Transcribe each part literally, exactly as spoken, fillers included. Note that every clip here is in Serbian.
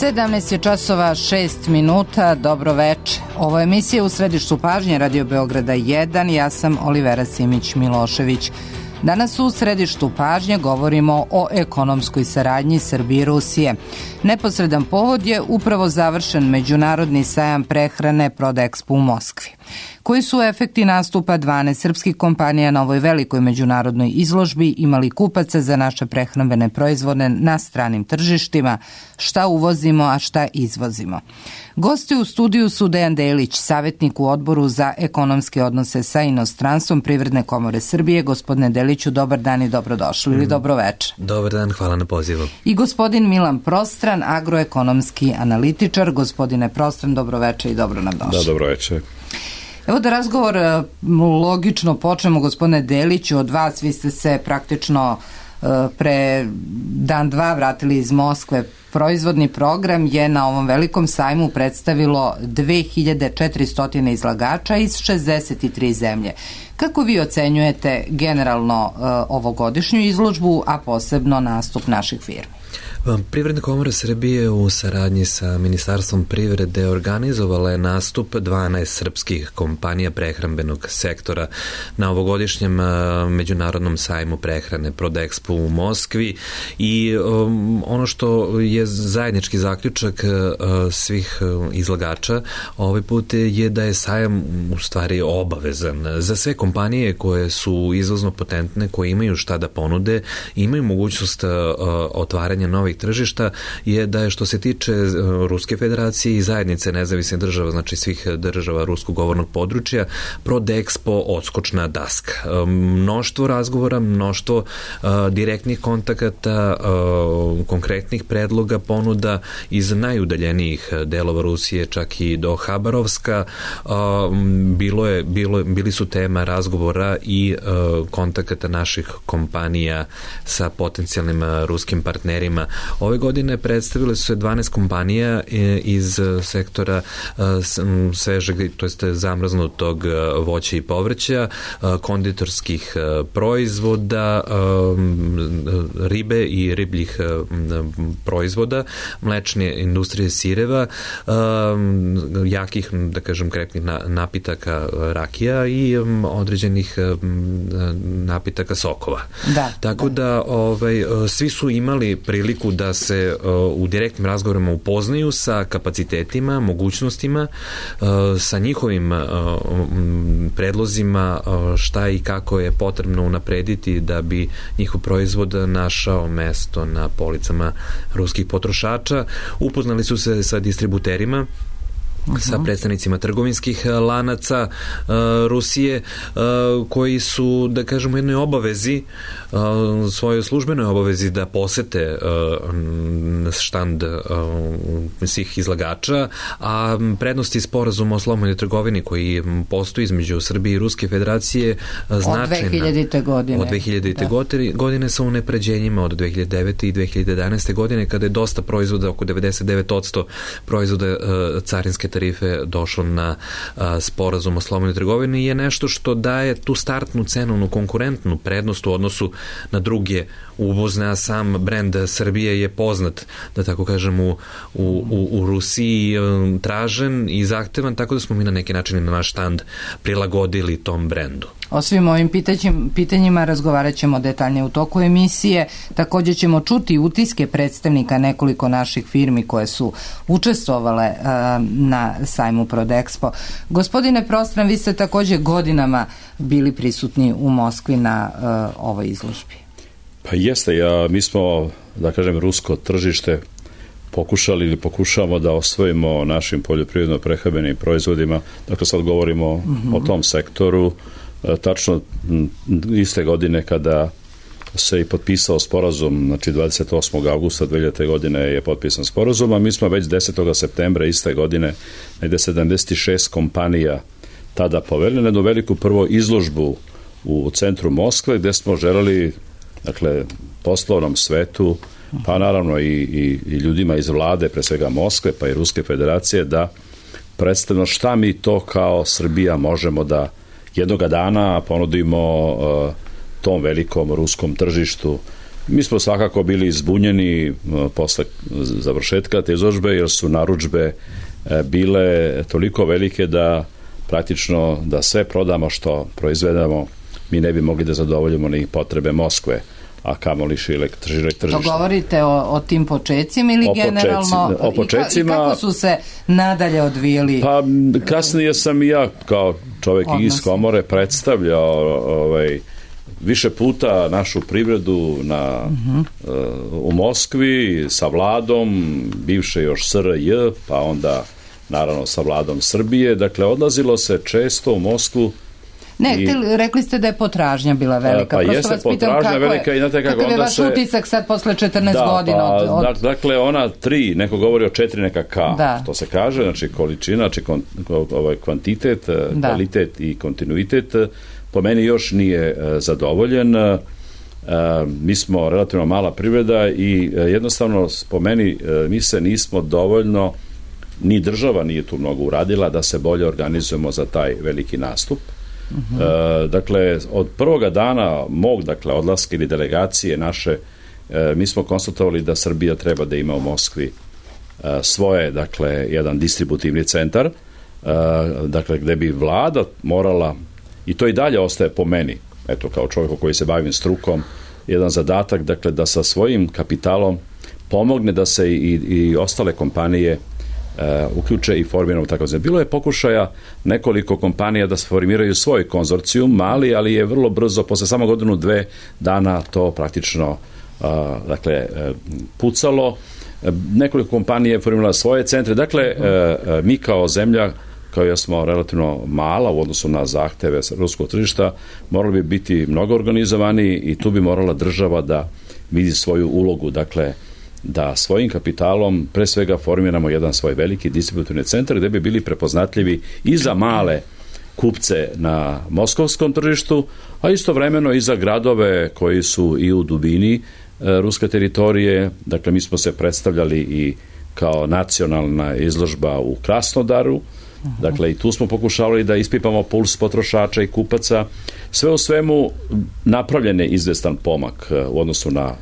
sedamnaest je časova šest minuta, dobro veče. Ovo je emisija U središtu pažnje Radio Beograda jedan, ja sam Olivera Simić-Milošević. Danas u središtu pažnje govorimo o ekonomskoj saradnji Srbije i Rusije. Neposredan povod je upravo završen međunarodni sajam prehrane Prodexpo u Moskvi. Koji su efekti nastupa dvanaest srpskih kompanija na ovoj velikoj međunarodnoj izložbi, imali kupaca za naše prehrambene proizvode na stranim tržištima, šta uvozimo, a šta izvozimo? Gosti u studiju su Dejan Delić, savjetnik u Odboru za ekonomske odnose sa inostranstvom Privredne komore Srbije. Gospodine Deliću, dobar dan i dobrodošli ili dobro večer. Dobar dan, hvala na pozivu. I gospodin Milan Prostran, agroekonomski analitičar. Gospodine Prostran, dobro večer i dobro nam došli. Da, dobro večer. Evo da razgovor logično počnemo, gospodine Deliću, od vas. Vi ste se praktično pre dan dva vratili iz Moskve. Proizvodni program je na ovom velikom sajmu predstavilo dve hiljade četiristo izlagača iz šezdeset tri zemlje. Kako vi ocenjujete generalno ovogodišnju izložbu, a posebno nastup naših firmi? Privredna komora Srbije u saradnji sa Ministarstvom privrede organizovala je nastup dvanaest srpskih kompanija prehrambenog sektora na ovogodišnjem međunarodnom sajmu prehrane Prodexpo u Moskvi i um, ono što je zajednički zaključak uh, svih izlagača ovaj put je da je sajam u stvari obavezan za sve kompanije koje su izvozno potentne, koje imaju šta da ponude, imaju mogućnost uh, otvaranja novih tržišta, je da je što se tiče Ruske federacije i zajednice nezavisnih država, znači svih država ruskog govornog područja, Prodexpo odskočna daska. Mnoštvo razgovora, mnoštvo uh, direktnih kontakata, uh, konkretnih predloga, ponuda iz najudaljenijih delova Rusije, čak i do Habarovska. Uh, bilo je, bilo, bili su tema razgovora i uh, kontakata naših kompanija sa potencijalnim uh, ruskim partnerima. Ove godine predstavile su se dvanaest kompanija iz sektora svežeg, to jest zamrznutog voća i povrća, konditorskih proizvoda, ribe i ribljih proizvoda, mlečne industrije sireva, jakih, da kažem, krepnih napitaka rakija i određenih napitaka sokova. Da, Tako da, da ovaj, svi su imali priliku da se uh, u direktnim razgovorima upoznaju sa kapacitetima, mogućnostima, uh, sa njihovim uh, predlozima uh, šta i kako je potrebno unaprediti da bi njihov proizvod našao mesto na policama ruskih potrošača. Upoznali su se sa distributerima, Uh-huh. sa predstavnicima trgovinskih lanaca uh, Rusije, uh, koji su, da kažemo, jednoj obavezi, uh, svojoj službenoj obavezi da posete uh, štand uh, svih izlagača, a prednosti sporazuma o slobodnoj trgovini koji postoji između Srbije i Ruske federacije značajna. Od dve hiljadite godine. Od dve hiljadite da. godine sa unapređenjima od dve hiljade devete i dve hiljade jedanaeste godine, kada je dosta proizvoda, oko devedeset devet posto proizvoda uh, carinske tarife došlo na a, sporazum o slobodnoj trgovini, je nešto što daje tu startnu cenovnu konkurentnu prednost u odnosu na druge uvozne, a sam brend Srbije je poznat, da tako kažem, u, u, u, u Rusiji tražen i zahtevan, tako da smo mi na neki način na naš štand prilagodili tom brendu. O svim ovim pitanjima razgovarat ćemo detaljnije u toku emisije. Također ćemo čuti utiske predstavnika nekoliko naših firmi koje su učestvovale uh, na sajmu Prodexpo. Gospodine Prostran, vi ste također godinama bili prisutni u Moskvi na uh, ovoj izložbi. Pa jeste, ja, mi smo, da kažem, rusko tržište pokušali ili pokušavamo da osvojimo našim poljoprivredno-prehrambenim proizvodima. Dakle, sad govorimo mm-hmm. o tom sektoru. Tačno iste godine kada se i potpisao sporazum, znači dvadeset osmog avgusta dve hiljadite godine je potpisan sporazum, a mi smo već desetog septembra iste godine negde sedamdeset šest kompanija tada poveli na jednu veliku prvo izložbu u centru Moskve, gde smo želeli, dakle, poslovnom svetu, pa naravno i, i, i ljudima iz vlade, pre svega Moskve, pa i Ruske federacije, da predstavimo šta mi to kao Srbija možemo da jednoga dana ponudimo uh, tom velikom ruskom tržištu Mi smo svakako bili zbunjeni posle završetka te izložbe, jer su narudžbe bile toliko velike da praktično da sve prodamo što proizvedemo, mi ne bi mogli da zadovoljimo ni potrebe Moskve, a kamoli šire tržište. To govorite o, o tim počecima ili o generalno počecima, o počecima, i, ka, i kako su se nadalje odvijeli? Pa kasnije sam i ja kao čovjek odnosi. Iz komore predstavljao ovaj, više puta našu privredu na, uh-huh. uh, u Moskvi sa vladom, bivše još S R J, pa onda naravno sa vladom Srbije. Dakle, odlazilo se često u Moskvu. Ne, I, te, rekli ste da je potražnja bila velika. Pa jeste potražnja velika i znate kako onda se... Kakav je vaš utisak sad posle četrnaest da, godina? Da, od, od... dakle, ona tri, neko govori o četiri, neka K, da. Što se kaže, znači količina, znači kon, ovaj, kvantitet, da. Kvalitet i kontinuitet, po meni još nije zadovoljen. E, mi smo relativno mala privreda i jednostavno, po meni, mi se nismo dovoljno, ni država nije tu mnogo uradila da se bolje organizujemo za taj veliki nastup. Uh-huh. E, dakle, od prvoga dana mog, dakle, odlaska ili delegacije naše, e, mi smo konstatovali da Srbija treba da ima u Moskvi e, svoje, dakle, jedan distributivni centar, e, dakle, gde bi vlada morala, i to i dalje ostaje po meni, eto, kao čovjeku koji se bavim strukom, jedan zadatak, dakle, da sa svojim kapitalom pomogne da se i, i ostale kompanije Uh, uključe i formiramo tako znači. Bilo je pokušaja nekoliko kompanija da formiraju svoj konzorcijum, mali, ali je vrlo brzo, posle samo godinu, dve dana to praktično uh, dakle, uh, pucalo. Uh, nekoliko kompanija je formirala svoje centre. Dakle, uh, uh, mi kao zemlja, kao ja smo relativno mala u odnosu na zahteve ruskog tržišta, morali bi biti mnogo organizovani i tu bi morala država da vidi svoju ulogu. Dakle, da svojim kapitalom pre svega formiramo jedan svoj veliki distributivni centar gde bi bili prepoznatljivi i za male kupce na moskovskom tržištu, a istovremeno i za gradove koji su i u dubini e, ruske teritorije. Dakle, mi smo se predstavljali i kao nacionalna izložba u Krasnodaru. Dakle, i tu smo pokušavali da ispipamo puls potrošača i kupaca. Sve u svemu napravljen je izvestan pomak u odnosu na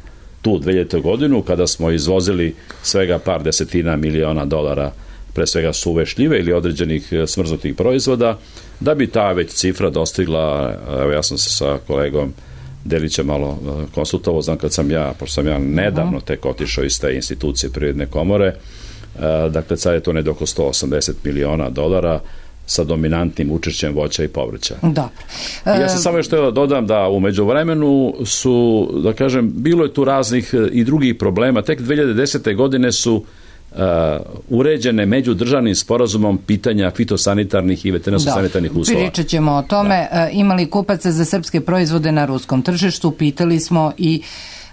tu dve hiljadite godinu, kada smo izvozili svega par desetina miliona dolara, pre svega suve šljive ili određenih smrznutih proizvoda, da bi ta već cifra dostigla, evo ja sam se sa kolegom Delićem malo konsultovao, znam kad sam ja, pošto sam ja nedavno tek otišao iz te institucije Privredne komore, dakle sad je to ne oko sto osamdeset miliona dolara, sa dominantnim učešćem voća i povrća. Dobro. Ja sam samo još htio da dodam da u međuvremenu su, da kažem, bilo je tu raznih i drugih problema. Tek dve hiljade desete. godine su uh, uređene međudržavnim sporazumom pitanja fitosanitarnih i veterinarsko-sanitarnih uslova. Pričat ćemo o tome. Da. Imali kupaca za srpske proizvode na ruskom tržištu, pitali smo i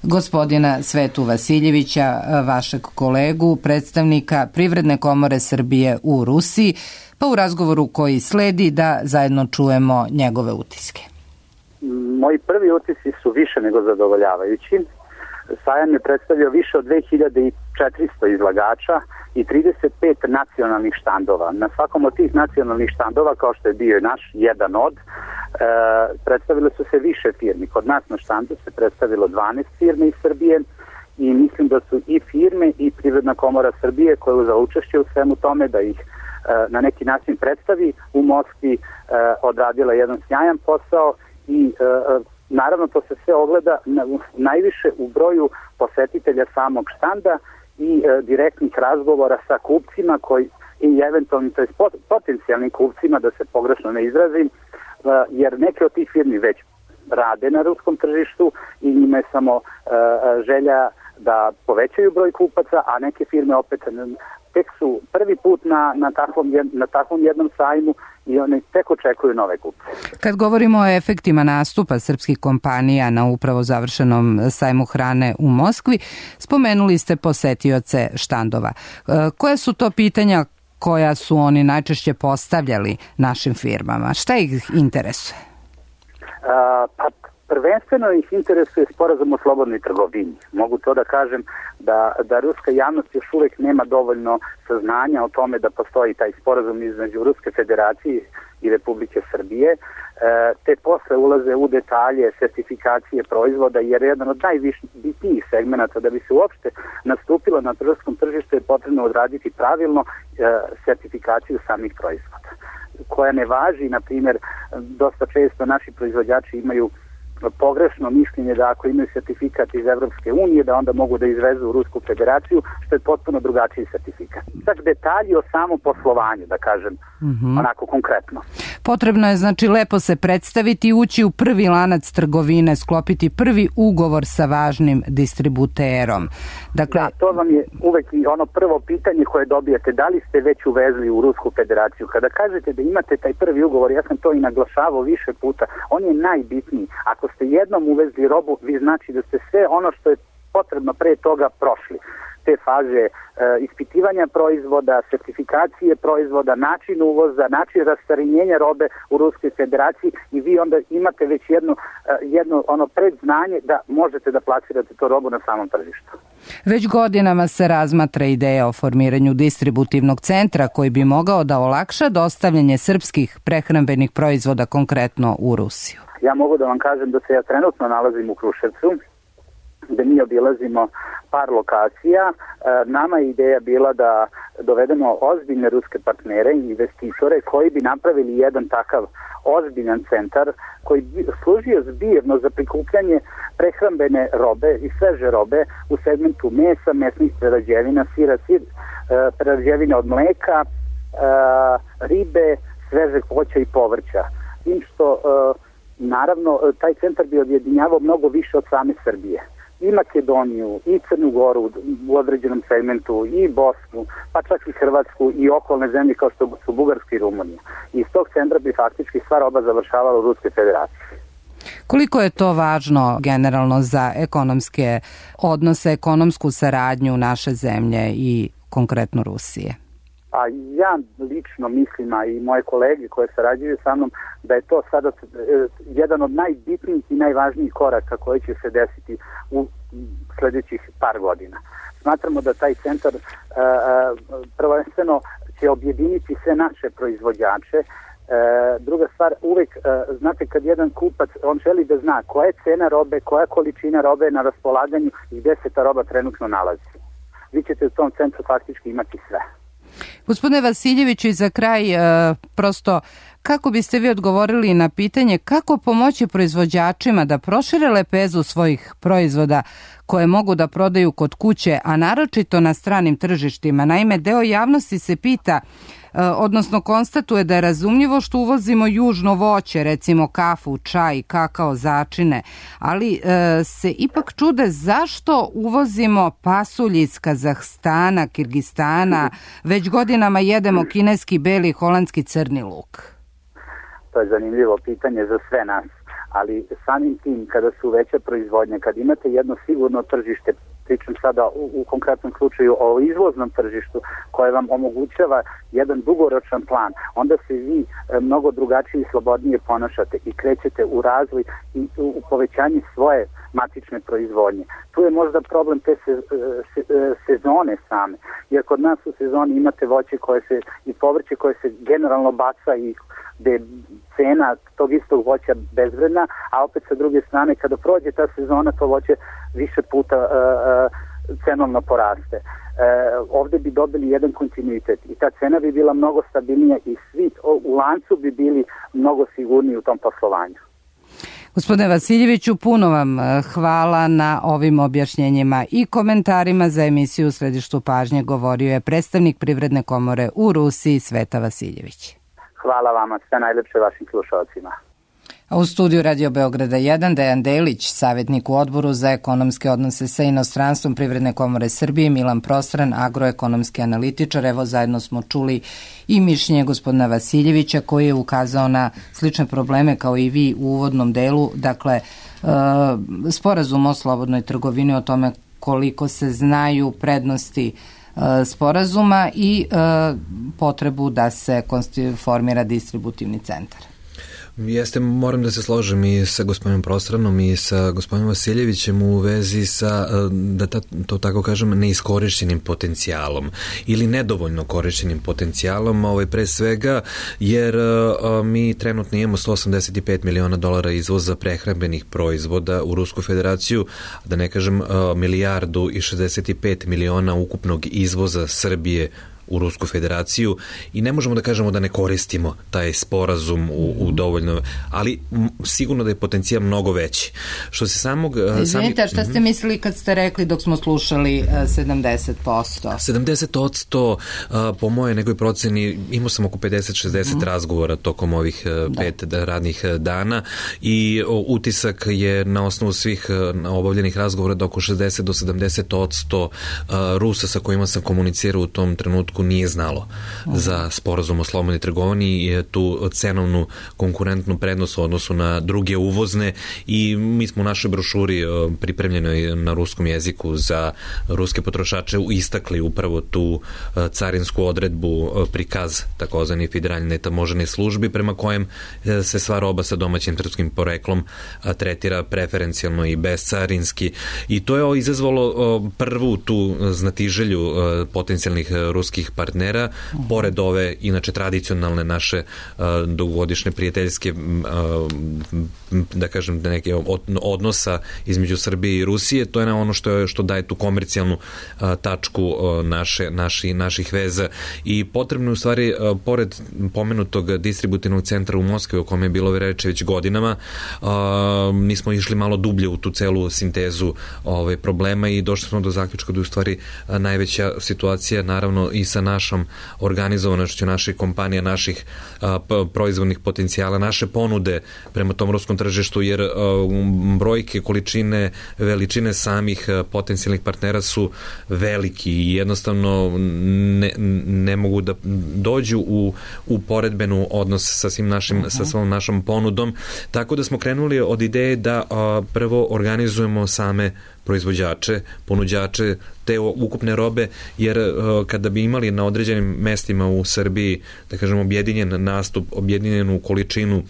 gospodina Svetu Vasiljevića, vašeg kolegu, predstavnika Privredne komore Srbije u Rusiji, pa u razgovoru koji sledi da zajedno čujemo njegove utiske. Moji prvi utisci su više nego zadovoljavajući. Sajam je predstavio više od dve hiljade četiristo izlagača i trideset pet nacionalnih štandova. Na svakom od tih nacionalnih štandova, kao što je bio naš jedan od, e, predstavile su se više firmi. Kod nas na štandu se predstavilo dvanaest firmi iz Srbije i mislim da su i firme i Privredna komora Srbije koja je uzela učešće u svemu tome da ih na neki način predstavi u Moskvi, e, odradila jedan sjajan posao i e, naravno to se sve ogleda na, najviše u broju posetitelja samog štanda i e, direktnih razgovora sa kupcima koji, i eventualnim, to je potencijalnim kupcima, da se pogrešno ne izrazim, e, jer neke od tih firmi već rade na ruskom tržištu i njima je samo e, želja da povećaju broj kupaca, a neke firme opet tek su prvi put na, na, takvom, na takvom jednom sajmu i oni tek očekuju nove kupce. Kad govorimo o efektima nastupa srpskih kompanija na upravo završenom sajmu hrane u Moskvi, spomenuli ste posetioce štandova. Koja su to pitanja koja su oni najčešće postavljali našim firmama? Šta ih interesuje? A, pa prvenstveno ih interesuje sporazum o slobodnoj trgovini. Mogu to da kažem da, da ruska javnost još uvek nema dovoljno saznanja o tome da postoji taj sporazum između Ruske federacije i Republike Srbije. E, te posle ulaze u detalje sertifikacije proizvoda, jer jedan od najbitnijih segmenata da bi se uopšte nastupilo na tržišnom tržištu je potrebno odraditi pravilno e, sertifikaciju samih proizvoda, koja ne važi, na primjer, dosta često naši proizvođači imaju pogrešno mišljenje da ako imaju sertifikat iz Evropske unije da onda mogu da izvezu u Rusku federaciju, što je potpuno drugačiji sertifikat. Tako detalji o samom poslovanju, da kažem, mm-hmm. onako konkretno. Potrebno je znači lepo se predstaviti, ući u prvi lanac trgovine, sklopiti prvi ugovor sa važnim distributerom. Dakle, da, to vam je uvek i ono prvo pitanje koje dobijate, da li ste već uvezli u Rusku federaciju. Kada kažete da imate taj prvi ugovor, ja sam to i naglašavao više puta, on je najbitniji. Ako ste jednom uvezli robu, vi znači da ste sve ono što je potrebno pre toga prošli. Te faze e, ispitivanja proizvoda, sertifikacije proizvoda, način uvoza, način rastarinjenja robe u Ruskoj federaciji i vi onda imate već jedno, e, jedno ono predznanje da možete da plasirate to robu na samom tržištu. Već godinama se razmatra ideja o formiranju distributivnog centra koji bi mogao da olakša dostavljanje srpskih prehrambenih proizvoda konkretno u Rusiju. Ja mogu da vam kažem da se ja trenutno nalazim u Kruševcu, gde mi obilazimo par lokacija. Nama je ideja bila da dovedemo ozbiljne ruske partnere i investitore koji bi napravili jedan takav ozbiljan centar koji bi služio zbirno za prikupljanje prehrambene robe i sveže robe u segmentu mesa, mesnih prerađevina, sira, sir, prerađevine od mleka, ribe, svežeg voća i povrća. Tim što naravno taj centar bi objedinjavao mnogo više od same Srbije. I Makedoniju, i Crnu Goru u određenom segmentu, i Bosnu, pa čak i Hrvatsku i okolne zemlje kao što su Bugarska i Rumunija. I iz tog centra bi faktički sva roba završavala u Ruskoj federaciji. Koliko je to važno generalno za ekonomske odnose, ekonomsku saradnju naše zemlje i konkretno Rusije? A ja lično mislim, a i moje kolege koje sarađuju sa mnom, da je to sada jedan od najbitnijih i najvažnijih koraka koji će se desiti u sljedećih par godina. Smatramo da taj centar prvenstveno će objediniti sve naše proizvođače. Druga stvar, uvek, znate, kad jedan kupac, on želi da zna koja je cena robe, koja je količina robe na raspolaganju i gde se ta roba trenutno nalazi. Vi ćete u tom centru faktički imati sve. Gospodine Vasiljeviću, i za kraj, prosto, kako biste vi odgovorili na pitanje kako pomoći proizvođačima da prošire lepezu svojih proizvoda koje mogu da prodaju kod kuće, a naročito na stranim tržištima? Naime, deo javnosti se pita, odnosno konstatuje da je razumljivo što uvozimo južno voće, recimo kafu, čaj, kakao, začine, ali e, se ipak čude zašto uvozimo pasulj iz Kazahstana, Kirgistana, već godinama jedemo kineski beli, holandski crni luk. To je zanimljivo pitanje za sve nas, ali samim tim kada su veće proizvodnje, kad imate jedno sigurno tržište, pričam sada u, u konkretnom slučaju o izvoznom tržištu koje vam omogućava jedan dugoročan plan, onda se vi e, mnogo drugačije i slobodnije ponašate i krećete u razvoj i u, u povećanje svoje matične proizvodnje. Tu je možda problem te se, se, sezone same, jer kod nas u sezoni imate voće koje se i povrće koje se generalno baca i gde je cena tog istog voća bezvredna, a opet sa druge strane kada prođe ta sezona to voće više puta uh, uh, cenovno poraste. Uh, ovde bi dobili jedan kontinuitet i ta cena bi bila mnogo stabilnija i svi u lancu bi bili mnogo sigurniji u tom poslovanju. Gospodine Vasiljeviću, puno vam hvala na ovim objašnjenjima i komentarima. Za emisiju U središtu pažnje govorio je predstavnik Privredne komore u Rusiji Sveta Vasiljević. Hvala vama, sve najlepše vašim slušalcima. A u studiju Radio Beograda jedan Dejan Delić, savjetnik u odboru za ekonomske odnose sa inostranstvom Privredne komore Srbije, Milan Prostran, agroekonomski analitičar. Evo, zajedno smo čuli i mišljenje gospodina Vasiljevića koji je ukazao na slične probleme kao i vi u uvodnom delu. Dakle, sporazum o slobodnoj trgovini, o tome koliko se znaju prednosti sporazuma i potrebu da se formira distributivni centar. Jeste, moram da se složim i sa gospodinom Prostranom i sa gospodinom Vasiljevićem u vezi sa, da ta, to tako kažem, neiskorišćenim potencijalom ili nedovoljno korišćenim potencijalom, ovaj, pre svega, jer a, mi trenutno imamo sto osamdeset pet miliona dolara izvoza prehrambenih proizvoda u Rusku federaciju, da ne kažem a, milijardu i šezdeset pet miliona ukupnog izvoza Srbije u Rusku federaciju i ne možemo da kažemo da ne koristimo taj sporazum u, u dovoljno, ali m, sigurno da je potencijal mnogo veći. Što se samog... Izvinite, sami... šta ste mislili kad ste rekli dok smo slušali uh, sedamdeset posto? sedamdeset posto uh, po moje nekoj proceni, imao sam oko pedeset šezdeset mm. razgovora tokom ovih uh, pet da. radnih dana i uh, utisak je na osnovu svih uh, obavljenih razgovora da oko šezdeset do sedamdeset posto uh, Rusa sa kojima sam komunicirao u tom trenutku nije znalo Aha. za sporazum o slobodnoj trgovini i tu cenovnu konkurentnu prednost u odnosu na druge uvozne i mi smo u našoj brošuri pripremljenoj na ruskom jeziku za ruske potrošače istakli upravo tu carinsku odredbu, prikaz takozvani federalne tamožene službi prema kojem se sva roba sa domaćim srpskim poreklom tretira preferencijalno i bezcarinski i to je izazvalo prvu tu znatiželju potencijalnih ruskih partnera, uh-huh. pored ove inače tradicionalne naše uh, dugogodišnje prijateljske uh, da kažem da neke od, odnosa između Srbije i Rusije, to je na ono što je, što daje tu komercijalnu uh, tačku uh, naše naši naših veza i potrebno je u stvari uh, pored pomenutog distributivnog centra u Moskvi o kome je bilo reči već godinama, uh, nismo išli malo dublje u tu celu sintezu ovaj problema i došli smo do zaključka da je u stvari uh, najveća situacija naravno i sa našom organizovanošću naših kompanija, naših a, p- proizvodnih potencijala, naše ponude prema tom ruskom tržištu, jer a, brojke, količine, veličine samih a, potencijalnih partnera su veliki i jednostavno ne, ne mogu da dođu u, u poredbenu odnos sa svim našim, uh-huh. sa svom našom ponudom, tako da smo krenuli od ideje da a, prvo organizujemo same proizvođače, ponuđače te ukupne robe, jer uh, kada bi imali na određenim mestima u Srbiji, da kažem, objedinjen nastup, objedinjenu količinu,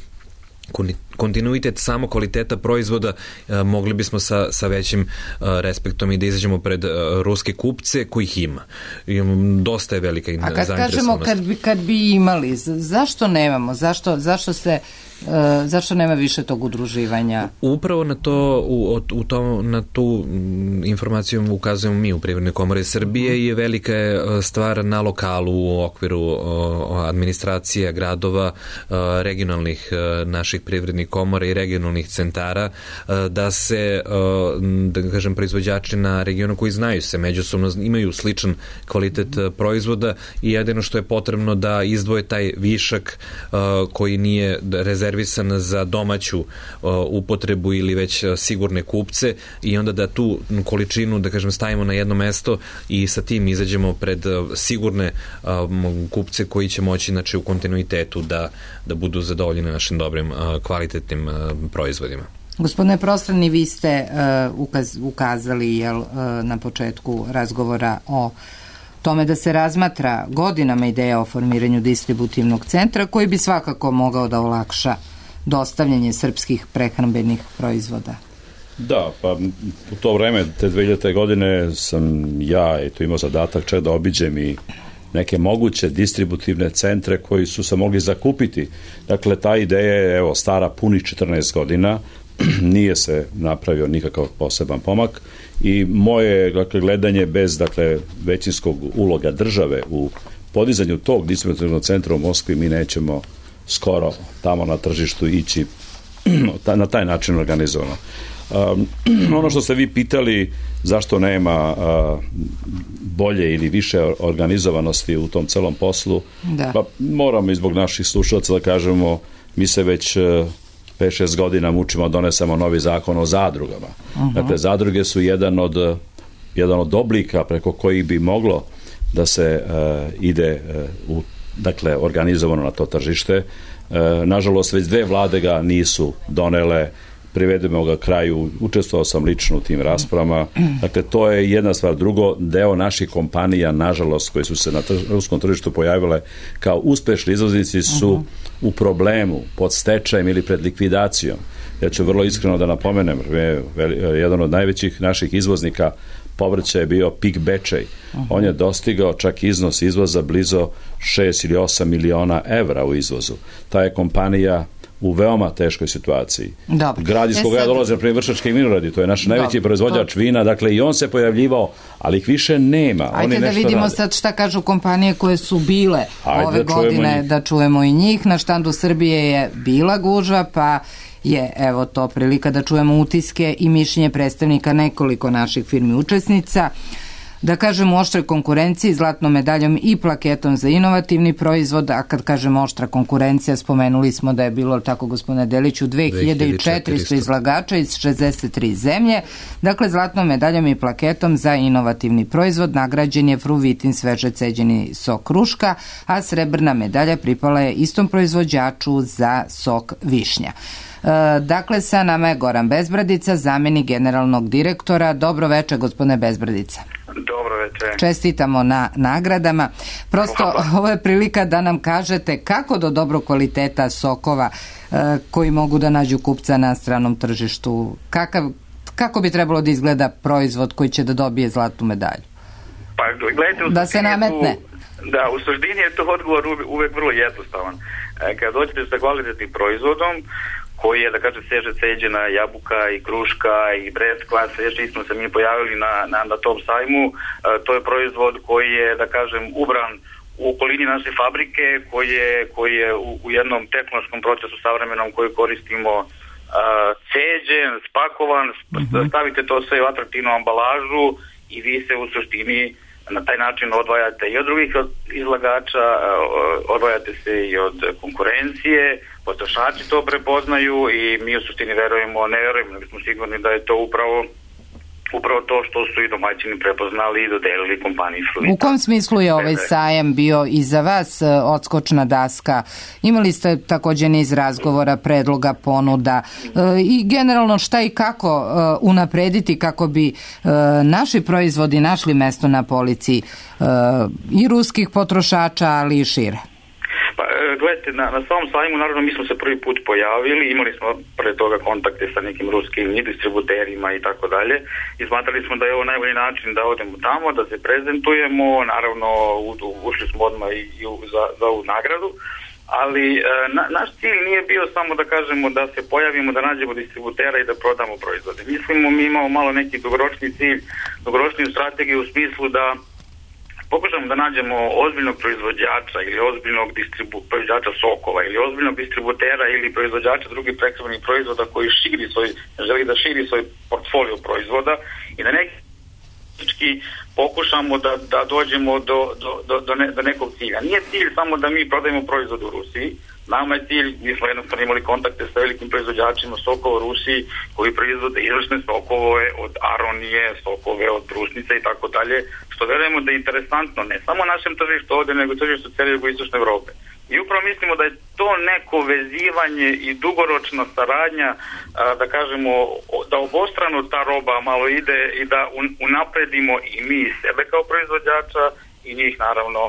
kontinuitet samo kvaliteta proizvoda, uh, mogli bismo sa, sa većim uh, respektom i da izađemo pred uh, ruske kupce kojih ima. I, um, dosta je velika zainteresovanost. A kad kažemo kad bi, kad bi imali, zašto nemamo? Zašto, zašto se Uh, zašto nema više tog udruživanja? Upravo na to u, u to, na tu informaciju ukazujemo mi u Privrednoj komori Srbije i velika je stvar na lokalu u okviru uh, administracije gradova, uh, regionalnih uh, naših privrednih komora i regionalnih centara, uh, da se uh, da kažem proizvođači na regionu koji znaju se međusobno, imaju sličan kvalitet uh, proizvoda i jedino što je potrebno da izdvoje taj višak uh, koji nije rezerviran rezervisan za domaću uh, upotrebu ili već uh, sigurne kupce i onda da tu količinu, da kažem, stavimo na jedno mesto i sa tim izađemo pred uh, sigurne uh, kupce koji će moći, znači, u kontinuitetu da, da budu zadovoljeni našim dobrim uh, kvalitetnim uh, proizvodima. Gospodine Prostrani, vi ste uh, ukaz, ukazali jel, uh, na početku razgovora o tome da se razmatra godinama ideja o formiranju distributivnog centra koji bi svakako mogao da olakša dostavljanje srpskih prehrambenih proizvoda. Da, pa u to vreme, te dve hiljadite godine sam ja eto, imao zadatak čak da obiđem i neke moguće distributivne centre koji su se mogli zakupiti. Dakle, ta ideja je evo, stara punih četrnaest godina, nije se napravio nikakav poseban pomak i moje dakle, gledanje bez dakle, većinskog uloga države u podizanju tog distributivnog centra u Moskvi mi nećemo skoro tamo na tržištu ići na taj način organizovano. Um, ono što ste vi pitali zašto nema uh, bolje ili više organizovanosti u tom celom poslu, da. Pa moramo i zbog naših slušalaca da kažemo mi se već uh, pet šest godina mučimo, donesemo novi zakon o zadrugama. Uh-huh. Dakle, zadruge su jedan od, jedan od oblika preko kojih bi moglo da se uh, ide uh, u, dakle, organizovano na to tržište. Uh, nažalost, već dve vlade ga nisu donele, privedemo ga kraju, učestvovao sam lično u tim raspravama. Dakle, to je jedna stvar. Drugo, deo naših kompanija, nažalost, koji su se na trž, ruskom tržištu pojavile kao uspešni izvoznici su uh-huh. u problemu, pod stečajem ili pred likvidacijom. Ja ću vrlo iskreno da napomenem, jedan od najvećih naših izvoznika povrća je bio Pik Bečej. Uh-huh. On je dostigao čak iznos izvoza blizu šest ili osam miliona evra u izvozu. Ta je kompanija u veoma teškoj situaciji. Dobro. Grad iz koga ja dolazim, na primjer Vršački vinogradi, to je naš najveći proizvođač to... vina, dakle i on se pojavljivao, ali ih više nema. Ajde Oni da vidimo rade. Sad šta kažu kompanije koje su bile Ajde ove da godine, da čujemo i njih. Na štandu Srbije je bila gužva, pa je evo to prilika da čujemo utiske i mišljenje predstavnika nekoliko naših firmi učesnica. Da kažem u oštroj konkurenciji, zlatnom medaljom i plaketom za inovativni proizvod, a kad kažem oštra konkurencija, spomenuli smo da je bilo, tako gospodine Deliću, dve hiljade četiristo izlagača iz šezdeset tri zemlje. Dakle, zlatnom medaljom i plaketom za inovativni proizvod nagrađen je Fruvitin sveže ceđeni sok kruška, a srebrna medalja pripala je istom proizvođaču za sok višnja. Dakle, sa nama je Goran Bezbradica, zamenik generalnog direktora. Dobro večer, gospodine Bezbradica. Dobro večer. Čestitamo na nagradama. Prosto, Hvala. Ovo je prilika da nam kažete kako do dobrog kvaliteta sokova koji mogu da nađu kupca na stranom tržištu, kakav, kako bi trebalo da izgleda proizvod koji će da dobije zlatnu medalju? Pa, gledajte, da se nametne. Tu, da, u suštini je to odgovor uvek vrlo jednostavan. Kada dođete sa kvalitetnim proizvodom, koji je, da kažem, sveže ceđena jabuka i kruška i breskva, sveže nismo se mi pojavili na, na, na tom sajmu. E, to je proizvod koji je, da kažem, ubran u okolini naše fabrike, koji je, koji je u, u jednom tehnološkom procesu savremenom koji koristimo e, ceđen, spakovan, mm-hmm. stavite to sve u atraktivnu ambalažu i vi se u suštini na taj način odvajate i od drugih izlagača, odvajate se i od konkurencije, potrošači to prepoznaju i mi u suštini verujemo, ne verujemo, nego smo sigurni da je to upravo upravo to što su i domaćini prepoznali i dodelili kompaniji Fruvitin. U kom smislu je ovaj sajam bio i za vas odskočna daska? Imali ste također niz razgovora, predloga, ponuda i generalno šta i kako unaprediti kako bi naši proizvodi našli mesto na polici i ruskih potrošača, ali i šire? Pa, gledajte, na, na samom sajmu, naravno, mi smo se prvi put pojavili, imali smo pre toga kontakte sa nekim ruskim i distributerima i tako dalje i smatrali smo da je ovo najbolji način da odemo tamo, da se prezentujemo, naravno, u, ušli smo odmah i, i za, za ovu nagradu, ali na, naš cilj nije bio samo da kažemo da se pojavimo, da nađemo distributera i da prodamo proizvode. Mislimo, mi imamo malo neki dugoročni cilj, dugoročniju strategiju u smislu da pokušamo da nađemo ozbiljnog proizvođača ili ozbiljnog distribu, proizvođača sokova ili ozbiljnog distributera ili proizvođača drugih prehrambenih proizvoda koji širi svoj, želi da širi svoj portfolio proizvoda i da neki pokušamo da, da dođemo do, do, do, do, ne, do nekog cilja. Nije cilj samo da mi prodajemo proizvod u Rusiji. Nama je cilj, mi smo jednostavno imali kontakte sa velikim proizvođačima sokova u Rusiji koji proizvode izvršne sokove od aronije, sokove od brusnice i tako dalje, što verujemo da je interesantno ne samo našem tržištu ovdje, nego tržištu cijele jugoistočne Evrope. I upravo mislimo da je to neko vezivanje i dugoročna saradnja, da kažemo, da obostrano ta roba malo ide i da unapredimo i mi sebe kao proizvođača i njih naravno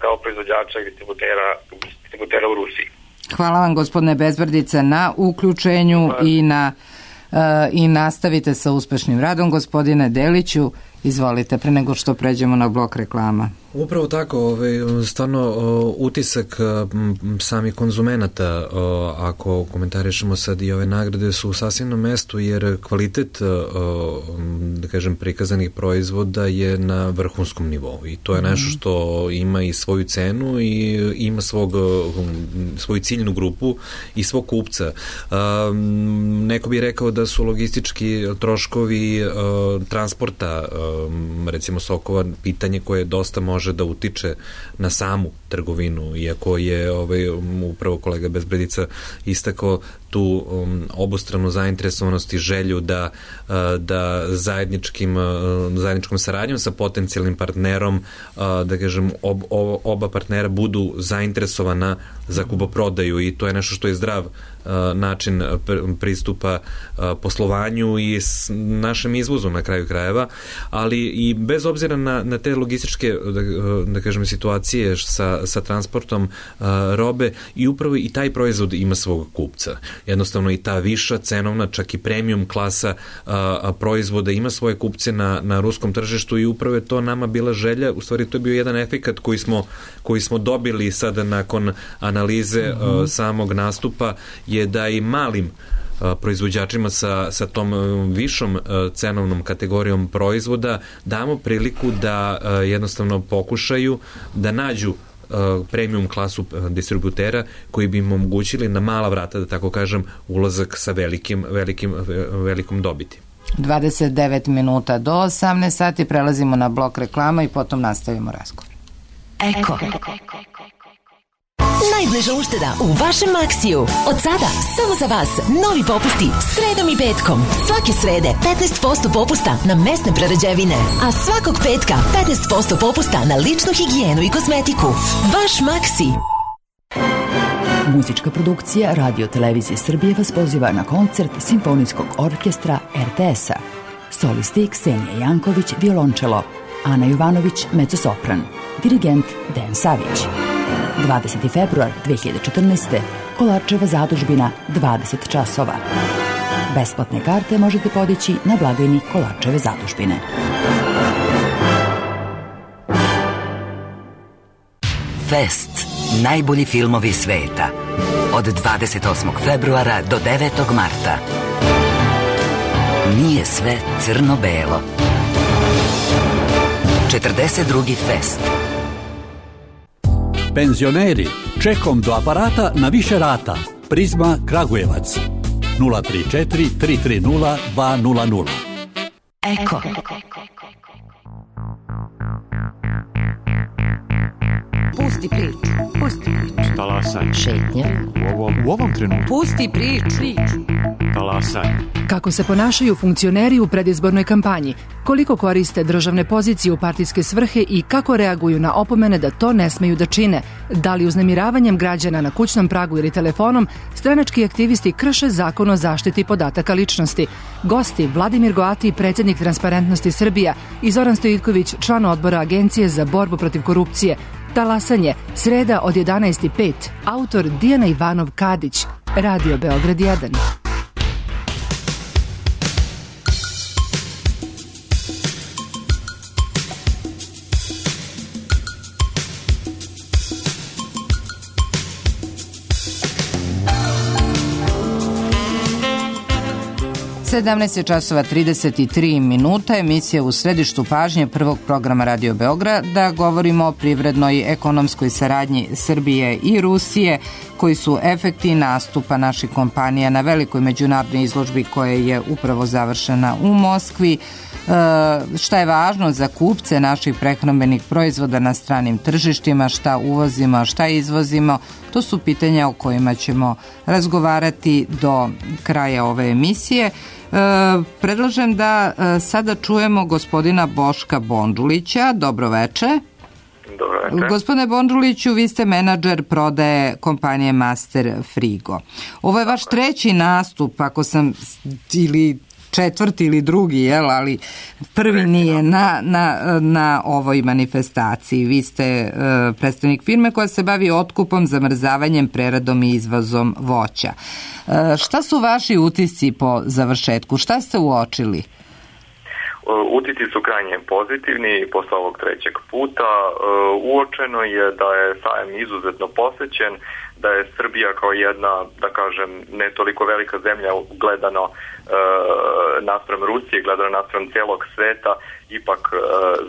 kao proizvođača i distributera, distributera u Rusiji. Hvala vam, gospodine Bezbradica, na uključenju Hvala. i na uh, i nastavite sa uspešnim radom. Gospodine Deliću, izvolite, pre nego što pređemo na blok reklama. Upravo tako, ovaj, stvarno utisak samih konzumenata, ako komentarišemo sad i ove nagrade, su u sasvim na mestu, jer kvalitet, da kažem, prikazanih proizvoda je na vrhunskom nivou i to je nešto što ima i svoju cenu i ima svog, svoju ciljnu grupu i svog kupca. Neko bi rekao da su logistički troškovi transporta, recimo sokova, pitanje koje dosta može da utiče na samu trgovinu, iako je ovaj, upravo kolega Bezbradica istakao tu um, obostranu zainteresovanost i želju da, uh, da zajedničkim, uh, zajedničkom saradnjom sa potencijalnim partnerom, uh, da kažem, ob, ob, oba partnera budu zainteresovana za kupoprodaju i to je nešto što je zdrav uh, način pristupa uh, poslovanju i s našem izvozu na kraju krajeva, ali i bez obzira na, na te logističke da, da kažem situacije sa, sa transportom uh, robe i upravo i taj proizvod ima svog kupca. Jednostavno i ta viša cenovna, čak i premium klasa uh, proizvoda ima svoje kupce na, na ruskom tržištu i upravo je to nama bila želja, u stvari to je bio jedan efekat koji smo, koji smo dobili sada nakon analize uh, samog nastupa, je da i malim proizvođačima sa, sa tom višom cenovnom kategorijom proizvoda damo priliku da jednostavno pokušaju da nađu premium klasu distributera koji bi im omogućili na mala vrata, da tako kažem, ulazak sa velikim, velikim, velikom dobiti. dvadeset devet minuta do osamnaest sati, prelazimo na blok reklama i potom nastavimo razgovor. Eko. Najbliža ušteda u vašem Maksiju. Od sada samo za vas novi popusti sredom i petkom. Svake srede petnaest posto popusta na mesne prerađevine, a svakog petka petnaest posto popusta na ličnu higijenu i kozmetiku. Vaš Maksi. Muzička produkcija Radio Televizije Srbije vas poziva na koncert Simfonijskog orkestra er te es-a. Solisti Ksenija Janković, violončelo, Ana Jovanović, mezzosopran, dirigent Dejan Savić. dvadeseti februar dve hiljade četrnaeste. Kolarčeva zadužbina, dvadeset časova. Besplatne karte možete podići na blagajni Kolarčeve zadužbine. Fest. Najbolji filmovi sveta. Od dvadeset osmog februara do devetog marta. Nije sve crno-belo. četrdeset drugi Fest. Penzioneri, čekom do aparata na više rata. Prizma Kragujevac. nula tri četiri tri tri nula dva nula nula. Eko. Pusti priču, pusti priču. Talasaj. Šetnja. U ovom, u ovom trenutku. Pusti priču. Talasaj. Kako se ponašaju funkcioneri u predizbornoj kampanji, koliko koriste državne pozicije u partijske svrhe i kako reaguju na opomene da to ne smeju da čine, da li uznemiravanjem građana na kućnom pragu ili telefonom stranački aktivisti krše zakon o zaštiti podataka ličnosti. Gosti Vladimir Goati, predsjednik Transparentnosti Srbija, i Zoran Stojitković, član odbora Agencije za borbu protiv korupcije. Talasanje, sreda od jedanaest i pet. Autor Dijana Ivanov Kadić. Radio Beograd jedan. sedamnaest časova trideset tri minuta, emisija u središtu pažnje prvog programa Radio Beograd, da govorimo o privrednoj ekonomskoj saradnji Srbije i Rusije, koji su efekti nastupa naših kompanija na velikoj međunarodnoj izložbi koja je upravo završena u Moskvi. E, šta je važno za kupce naših prehrambenih proizvoda na stranim tržištima, šta uvozimo, šta izvozimo, to su pitanja o kojima ćemo razgovarati do kraja ove emisije. E, predlažem da e, sada čujemo gospodina Boška Bondžulića. Dobro veče. Dobro veče. Gospodine Bondžuliću, vi ste menadžer prodaje kompanije Master Frigo. Ovo je vaš treći nastup, ako sam, ili četvrti ili drugi, jel, ali prvi nije na, na, na ovoj manifestaciji. Vi ste uh, predstavnik firme koja se bavi otkupom, zamrzavanjem, preradom i izvozom voća. Uh, šta su vaši utisci po završetku? Šta ste uočili? Utisci su krajnje pozitivni posle ovog trećeg puta. Uočeno je da je sajam izuzetno posećen, da je Srbija kao jedna, da kažem, ne toliko velika zemlja gledano e, naspram Rusije, gledano naspram celog sveta, ipak e,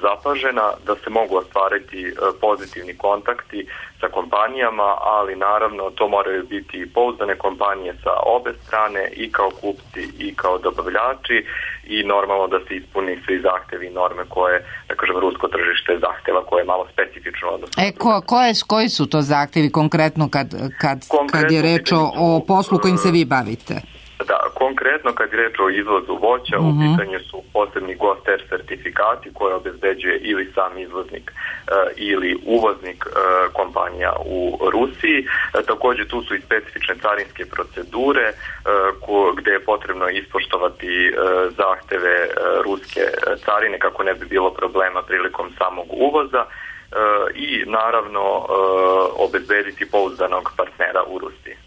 zapažena, da se mogu ostvariti e, pozitivni kontakti sa kompanijama, ali naravno to moraju biti pouzdane kompanije sa obe strane, i kao kupci i kao dobavljači, i normalno da se ispuni svi zahtevi i norme koje, da kažem, rusko tržište zahteva, koje je malo specifično. E, ko, koje, koji su to zahtevi konkretno kad kad, kad je reč o, o poslu kojim se vi bavite? Da, konkretno kad je reč o izvozu voća, uh-huh. u pitanju su posebni GOSTER sertifikati koje obezbeđuje ili sam izvoznik uh, ili uvoznik uh, kompanija u Rusiji. Uh, također tu su i specifične carinske procedure uh, ko, gde je potrebno ispoštovati uh, zahteve uh, ruske carine kako ne bi bilo problema prilikom samog uvoza uh, i naravno uh, obezbediti pouzdanog partnera u Rusiji.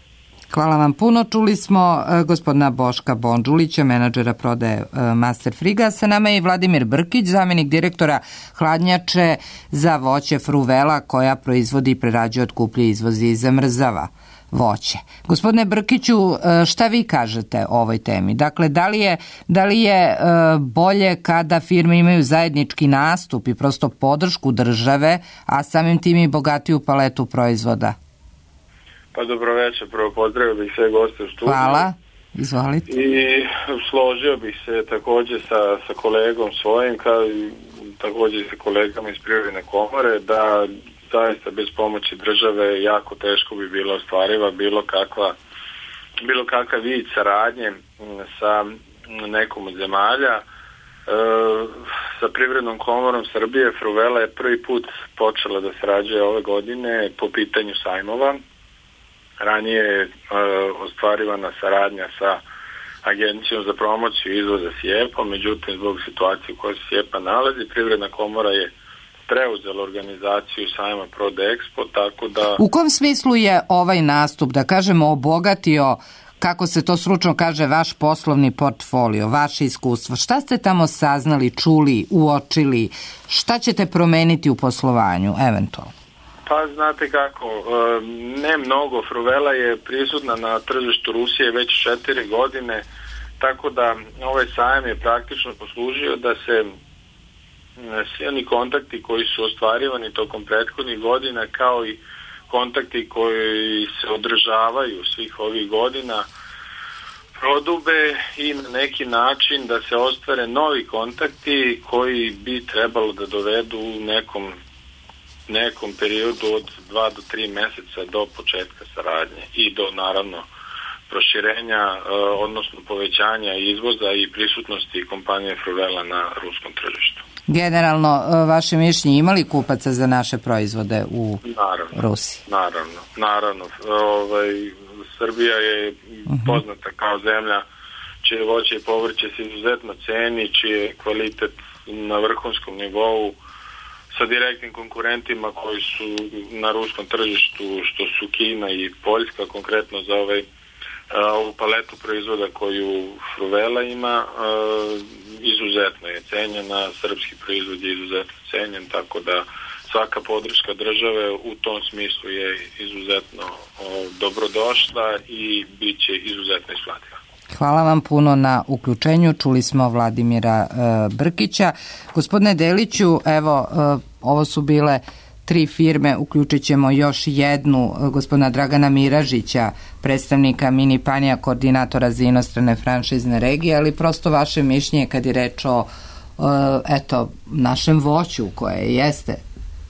Hvala vam puno. Čuli smo uh, gospodina Boška Bondžulića, menadžera prodaje uh, Master Friga. Sa nama je i Vladimir Brkić, zamjenik direktora hladnjače za voće Fruvela, koja proizvodi i prerađuje, otkupljuje, izvozi i zamrzava voće. Gospodine Brkiću, uh, šta vi kažete o ovoj temi? Dakle, da li je, da li je uh, bolje kada firme imaju zajednički nastup i prosto podršku države, a samim tim i bogatiju paletu proizvoda? Pa dobro večer, prvo pozdravio bih sve goste u studiju. Hvala, izvolite. I složio bih se također sa, sa kolegom svojim, kao i također i sa kolegama iz Privredne komore, da zaista bez pomoći države jako teško bi bilo ostvariva bilo kakva, bilo kakav vid saradnje sa nekom od zemalja. E, sa Privrednom komorom Srbije Fruvela je prvi put počela da sarađuje ove godine po pitanju sajmova. Ranije je uh, ostvarivana saradnja sa Agencijom za promociju izvoza SIEPA, međutim zbog situacije u kojoj se SIEPA nalazi, Privredna komora je preuzela organizaciju sajma Prodexpo, tako da... U kom smislu je ovaj nastup, da kažemo, obogatio, kako se to stručno kaže, vaš poslovni portfolio, vaše iskustvo? Šta ste tamo saznali, čuli, uočili? Šta ćete promeniti u poslovanju, eventualno? Pa znate kako, ne mnogo. Fruvela je prisutna na tržištu Rusije već četiri godine, tako da ovaj sajam je praktično poslužio da se svi oni kontakti koji su ostvarivani tokom prethodnih godina, kao i kontakti koji se održavaju svih ovih godina, prodube i na neki način da se ostvare novi kontakti koji bi trebalo da dovedu u nekom nekom periodu od dva do tri meseca do početka saradnje i do naravno proširenja, odnosno povećanja izvoza i prisutnosti kompanije Fruvela na ruskom tržištu. Generalno, vaše mišljenje, imali kupaca za naše proizvode u naravno, Rusiji? Naravno, naravno. Ovaj, Srbija je uh-huh. poznata kao zemlja čije voće i povrće se izuzetno ceni, čije kvalitet na vrhunskom nivou, sa direktnim konkurentima koji su na ruskom tržištu, što su Kina i Poljska, konkretno za ovaj, ovu paletu proizvoda koju Fruvela ima, izuzetno je cenjena, srpski proizvod je izuzetno cenjen, tako da svaka podrška države u tom smislu je izuzetno dobrodošla i bit će izuzetno isplativa. Hvala vam puno na uključenju. Čuli smo Vladimira e, Brkića. Gospodine Deliću, evo, e, ovo su bile tri firme, uključit ćemo još jednu, e, gospodina Dragana Miražića, predstavnika Mini Panija, koordinatora za inostrane franšizne regije, ali prosto vaše mišljenje kad je reč o e, eto, našem voću koje jeste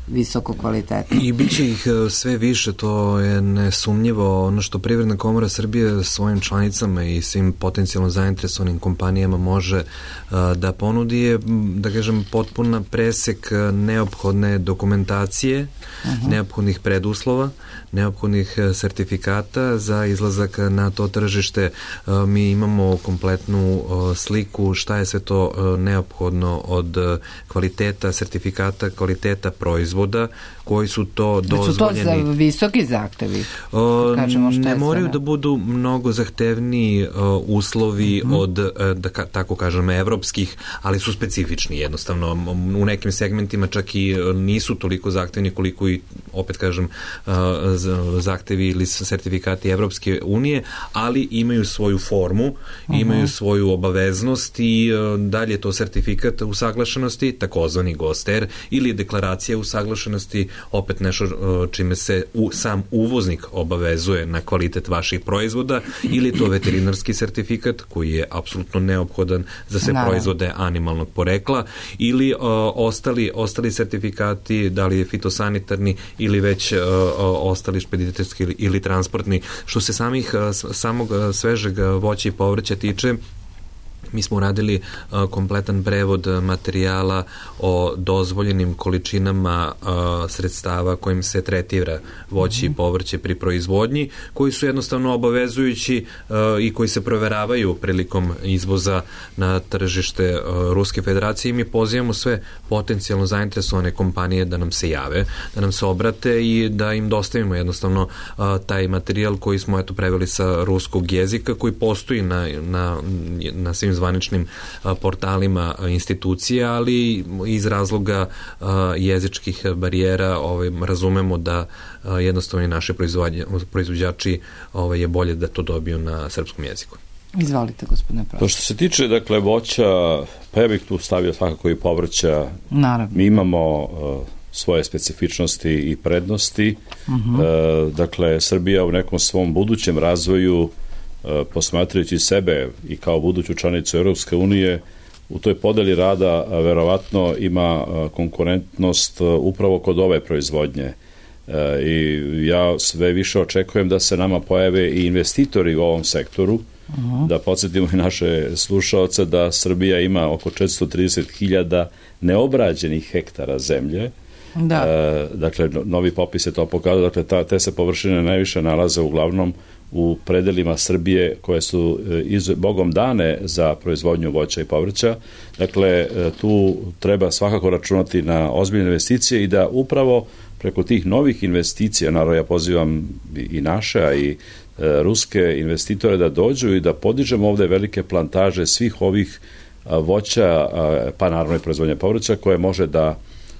visoko kvalitetno. I bit će ih sve više, to je nesumnjivo. Ono što Privredna komora Srbije svojim članicama i svim potencijalno zainteresovanim kompanijama može uh, da ponudi je, da kažem, potpuna presek neophodne dokumentacije, uh-huh. neophodnih preduslova, neophodnih sertifikata za izlazak na to tržište. Uh, mi imamo kompletnu uh, sliku šta je sve to uh, neophodno od uh, kvaliteta sertifikata, kvaliteta proizvoda, koji su to dozvoljeni. Su to za visoki zahtevi? O, ne moraju da budu mnogo zahtevniji uh, uslovi mm-hmm. od, uh, da ka, tako kažem, evropskih, ali su specifični jednostavno. U nekim segmentima čak i nisu toliko zahtevni koliko i, opet kažem, uh, zahtevi ili sertifikati Evropske unije, ali imaju svoju formu, mm-hmm. imaju svoju obaveznost i uh, dalje to sertifikat usaglašenosti, takozvani GOSTER, ili deklaracija usaglašenosti usaglašenosti, opet nešto čime se u, sam uvoznik obavezuje na kvalitet vaših proizvoda, ili je to veterinarski sertifikat koji je apsolutno neophodan za sve Naravno. proizvode animalnog porekla, ili uh, ostali, ostali sertifikati, da li je fitosanitarni ili već uh, ostali špediterski ili, ili transportni. Što se samih, uh, samog uh, svežeg voća i povrća tiče, mi smo uradili uh, kompletan prevod materijala o dozvoljenim količinama uh, sredstava kojim se tretira voće i povrće pri proizvodnji, koji su jednostavno obavezujući uh, i koji se proveravaju prilikom izvoza na tržište uh, Ruske federacije, i mi pozivamo sve potencijalno zainteresovane kompanije da nam se jave, da nam se obrate i da im dostavimo jednostavno uh, taj materijal koji smo eto preveli sa ruskog jezika, koji postoji na, na, na svim zvaničnim portalima institucija, ali iz razloga jezičkih barijera ovaj, razumemo da jednostavno i naše proizvođači ovaj, je bolje da to dobiju na srpskom jeziku. Izvolite, gospodine Prost. To što se tiče, dakle, voća, pa ja bih tu stavio svakako i povrća. Naravno. Mi imamo uh, svoje specifičnosti i prednosti. Uh-huh. Uh, dakle, Srbija u nekom svom budućem razvoju, posmatrajući sebe i kao buduću članicu Europske unije, u toj podeli rada verovatno ima konkurentnost upravo kod ove proizvodnje. I ja sve više očekujem da se nama pojave i investitori u ovom sektoru, uh-huh. da podsjetimo i naše slušaoce da Srbija ima oko četiristo trideset hiljada neobrađenih hektara zemlje. Da. E, dakle, novi popis je to pokazao, dakle, ta, te se površine najviše nalaze uglavnom u predelima Srbije koje su iz, Bogom dane za proizvodnju voća i povrća. Dakle, tu treba svakako računati na ozbiljne investicije i da upravo preko tih novih investicija, naravno ja pozivam i naše, a i e, ruske investitore da dođu i da podižemo ovde velike plantaže svih ovih a, voća, a, pa naravno i proizvodnja povrća koje može da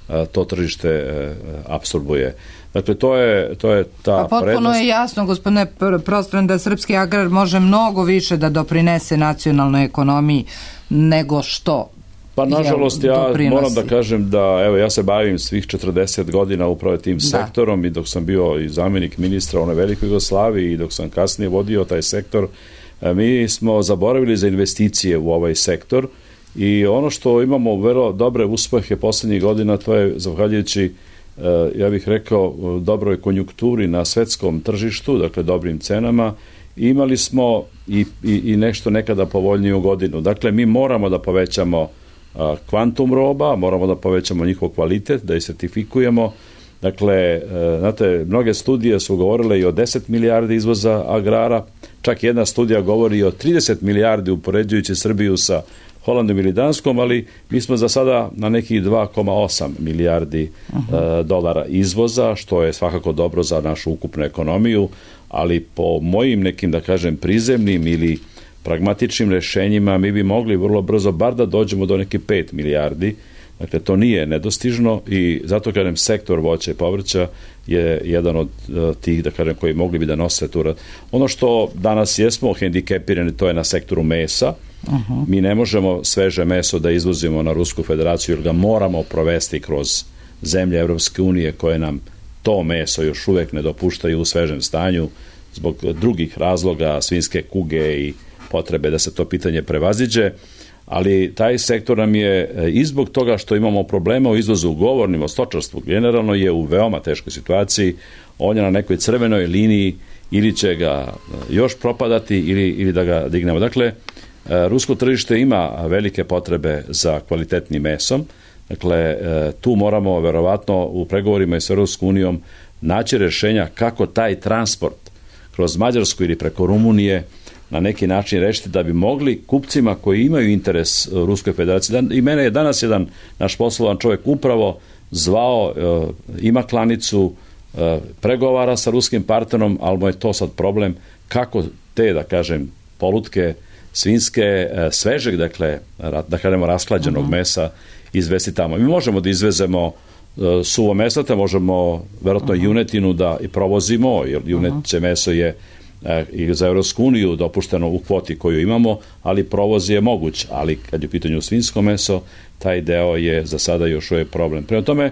a, to tržište e, apsorbuje. Dakle, to je, to je ta pa potpuno prednost. Je jasno, gospodine Prostran, da srpski agrar može mnogo više da doprinese nacionalnoj ekonomiji nego što Pa nažalost ja doprinosi. Moram da kažem da evo ja se bavim svih četrdeset godina upravo tim da. sektorom i dok sam bio i zamjenik ministra u onoj velikoj Jugoslaviji i dok sam kasnije vodio taj sektor, mi smo zaboravili za investicije u ovaj sektor i ono što imamo vrlo dobre uspehe poslednjih godina, to je zahvaljujući, ja bih rekao, dobroj konjunkturi na svetskom tržištu, dakle dobrim cenama. Imali smo i, i, i nešto nekada povoljniju godinu. Dakle, mi moramo da povećamo kvantum roba, moramo da povećamo njihov kvalitet, da ih sertifikujemo. Dakle, znate, mnoge studije su govorile i o deset milijardi izvoza agrara, čak jedna studija govori i o trideset milijardi upoređujući Srbiju sa Holandom ili Danskom, ali mi smo za sada na nekih dva zarez osam milijardi uh-huh. uh, dolara izvoza, što je svakako dobro za našu ukupnu ekonomiju, ali po mojim nekim, da kažem, prizemnim ili pragmatičnim rešenjima mi bi mogli vrlo brzo bar da dođemo do nekih pet milijardi. Dakle, to nije nedostižno i zato, kažem, sektor voća i povrća je jedan od uh, tih, da kažem, koji mogli bi da nose tu. Ono što danas jesmo hendikepirani, to je na sektoru mesa. Uh-huh. Mi ne možemo sveže meso da izvozimo na Rusku federaciju, jer ga moramo provesti kroz zemlje Evropske unije koje nam to meso još uvek ne dopuštaju u svežem stanju zbog drugih razloga, svinjske kuge i potrebe da se to pitanje prevaziđe. Ali taj sektor nam je i zbog toga što imamo problema u izvozu, govornim o stočarstvu, generalno je u veoma teškoj situaciji. On je na nekoj crvenoj liniji, ili će ga još propadati ili, ili da ga dignemo. Dakle, rusko tržište ima velike potrebe za kvalitetnim mesom. Dakle, tu moramo verovatno u pregovorima s Evropskom unijom naći rešenja kako taj transport kroz Mađarsku ili preko Rumunije na neki način rešiti da bi mogli kupcima koji imaju interes Ruskoj federaciji. I mene je danas jedan naš poslovan čovjek upravo zvao, ima klanicu, pregovara sa ruskim partnerom, ali mu je to sad problem kako te, da kažem, polutke svinjske, svežeg, dakle, da kažemo rasklađenog uh-huh. mesa izvesti tamo. Mi možemo da izvezemo suvo mesata, možemo verovatno uh-huh. junetinu da i provozimo, jer juneće meso je i za Evropsku uniju dopušteno u kvoti koju imamo, ali provoz je moguć, ali kad je u pitanju svinjsko meso, taj deo je za sada još uvijek problem. Prema tome,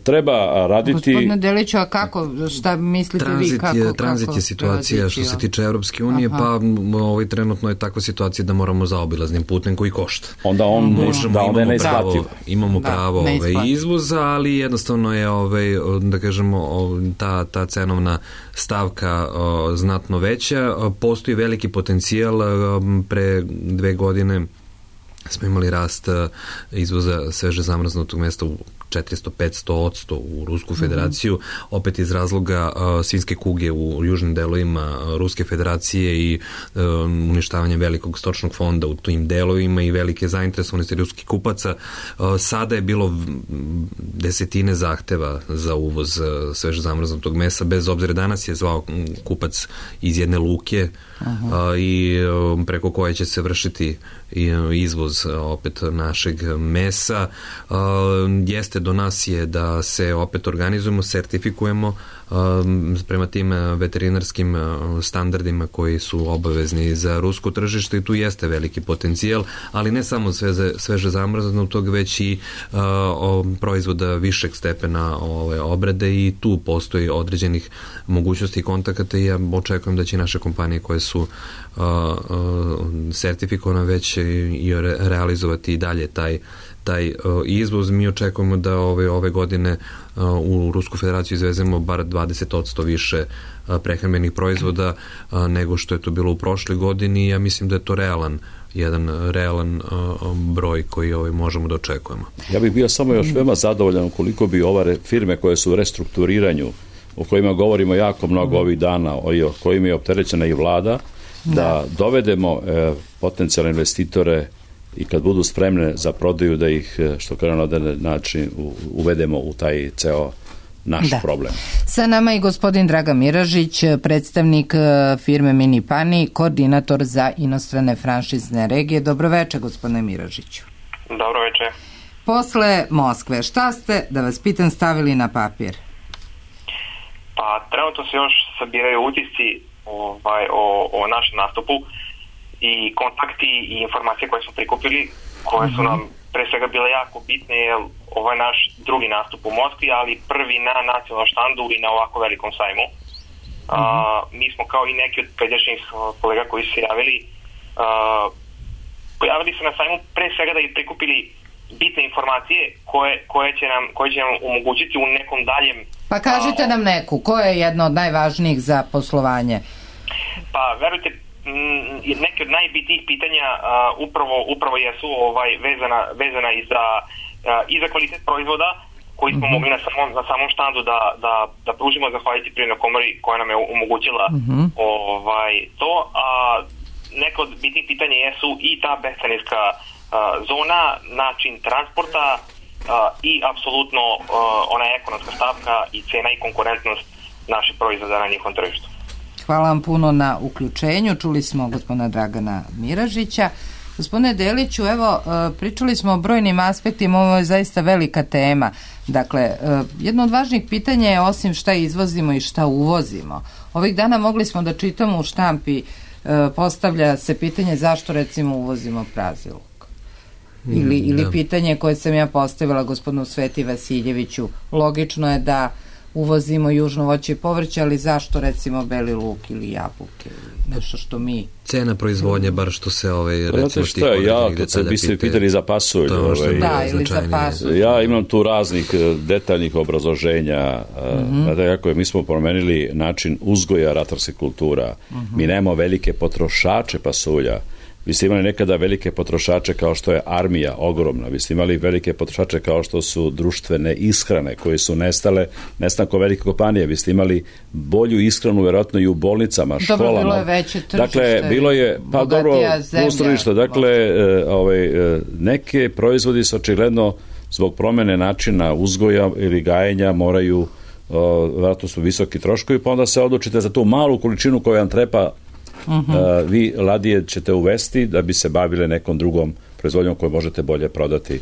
treba raditi... Gospodine Deliću, a kako, šta mislite tranzit vi? Kako, je, tranzit kako je situacija što se tiče Evropske unije, Aha. pa ovaj, trenutno je takva situacija da moramo zaobilaznim putem koji košta. Onda on možemo, da, onda imamo pravo, pravo, imamo da, pravo ovaj, izvoza, ali jednostavno je ovaj, da kažemo ta, ta cenovna stavka o, znatno veća. Postoji veliki potencijal. Pre dve godine smo imali rast izvoza sveže zamrznutog mesa u četiristo do petsto odsto u Rusku federaciju, mm-hmm. opet iz razloga uh, svinjske kuge u južnim delovima Ruske federacije i uh, uništavanje velikog stočnog fonda u tim delovima i velike zainteresovanosti ruskih kupaca. Uh, sada je bilo desetine zahteva za uvoz uh, sveže zamrznutog mesa, bez obzira danas je zvao kupac iz jedne luke uh, i uh, preko koje će se vršiti i uh, izvoz uh, opet našeg mesa. Uh, jeste do nas je da se opet organizujemo, sertifikujemo um, prema tim veterinarskim standardima koji su obavezni za rusko tržište i tu jeste veliki potencijal, ali ne samo sveže, sveže zamrznutog, već i uh, o, proizvoda višeg stepena ove obrade i tu postoji određenih mogućnosti i kontakata i ja očekujem da će naše kompanije koje su uh, uh, sertifikovane već i realizovati i dalje taj taj uh, izvoz. Mi očekujemo da ove, ove godine uh, u Rusku federaciju izvezemo bar dvadeset odsto više uh, prehrambenih proizvoda uh, nego što je to bilo u prošloj godini i ja mislim da je to realan jedan realan uh, broj koji ovaj, možemo da očekujemo. Ja bih bio samo još veoma zadovoljan ukoliko bi ove firme koje su u restrukturiranju, o kojima govorimo jako mnogo mm. ovih dana, o kojima je opterećena i vlada, da, da dovedemo e, potencijalne investitore i kad budu spremne za prodaju da ih, što kažem, na jedan način uvedemo u taj ceo naš da. problem. Sa nama je gospodin Dragan Miražić, predstavnik firme Mini Pani, koordinator za inostrane franšizne regije. Dobroveče, gospodine Miražiću. Dobroveče. Posle Moskve, šta ste, da vas pitam, stavili na papir? Pa, trenutno se još sabiraju utisci ovaj, o, o našem nastupu i kontakti i informacije koje smo prikupili, koje su nam pre svega bile jako bitne, jer ovo je naš drugi nastup u Moskvi, ali prvi na nacionalnom štandu i na ovako velikom sajmu. Uh-huh. A, mi smo kao i neki od pređašnjih kolega koji su se javili, a, pojavili se na sajmu pre svega da ih prikupili bitne informacije koje, koje, će nam, koje će nam omogućiti u nekom daljem... Pa kažite a, nam neku, koja je jedna od najvažnijih za poslovanje? Pa, verujte, neke od najbitnijih pitanja uh, upravo, upravo jesu ovaj, vezana, vezana i za, uh, i za kvalitet proizvoda koji smo mm-hmm. mogli na samom, na samom štandu da, da, da pružimo zahvaljujući Privrednoj komori koja nam je omogućila mm-hmm. ovaj, to. A neke od bitnih pitanja jesu i ta bescarinska uh, zona, način transporta uh, i apsolutno uh, ona ekonomska stavka i cena i konkurentnost naših proizvoda na njihovom tržištu. Hvala vam puno na uključenju. Čuli smo gospodina Dragana Miražića. Gospodine Deliću, evo, pričali smo o brojnim aspektima, ovo je zaista velika tema. Dakle, jedno od važnijih pitanja je osim šta izvozimo i šta uvozimo. Ovih dana mogli smo da čitamo u štampi, postavlja se pitanje zašto recimo uvozimo prazi luk. Ili, mm, ili da. pitanje koje sam ja postavila gospodinu Sveti Vasiljeviću. Logično je da uvozimo južno voće i povrće, ali zašto recimo beli luk ili jabuke ili nešto što mi... Cena proizvodnje, bar što se ovaj, recimo tih ja, to se bi se pitali za pasulj. Ovaj, da, ili za pasulj. Ja imam tu raznih detaljnih obrazloženja. Mm-hmm. Znate kako je, mi smo promenili način uzgoja ratarskih kultura. Mm-hmm. Mi nemamo velike potrošače pasulja. Vi ste imali nekada velike potrošače kao što je armija ogromna, vi ste imali velike potrošače kao što su društvene ishrane koje su nestale nestankom velike kompanije, vi ste imali bolju ishranu vjerojatno i u bolnicama, školama. Dobro, bilo je veće tržište, dakle, bilo je, pa dobro, tržište, dakle, e, ovaj, e, neke proizvodi su očigledno zbog promene načina uzgoja ili gajenja moraju, vjerojatno su visoki troškovi, pa onda se odlučite za tu malu količinu koju vam treba. Uh-huh. Uh, vi ladije ćete uvesti da bi se bavile nekom drugom proizvodnjom koju možete bolje prodati.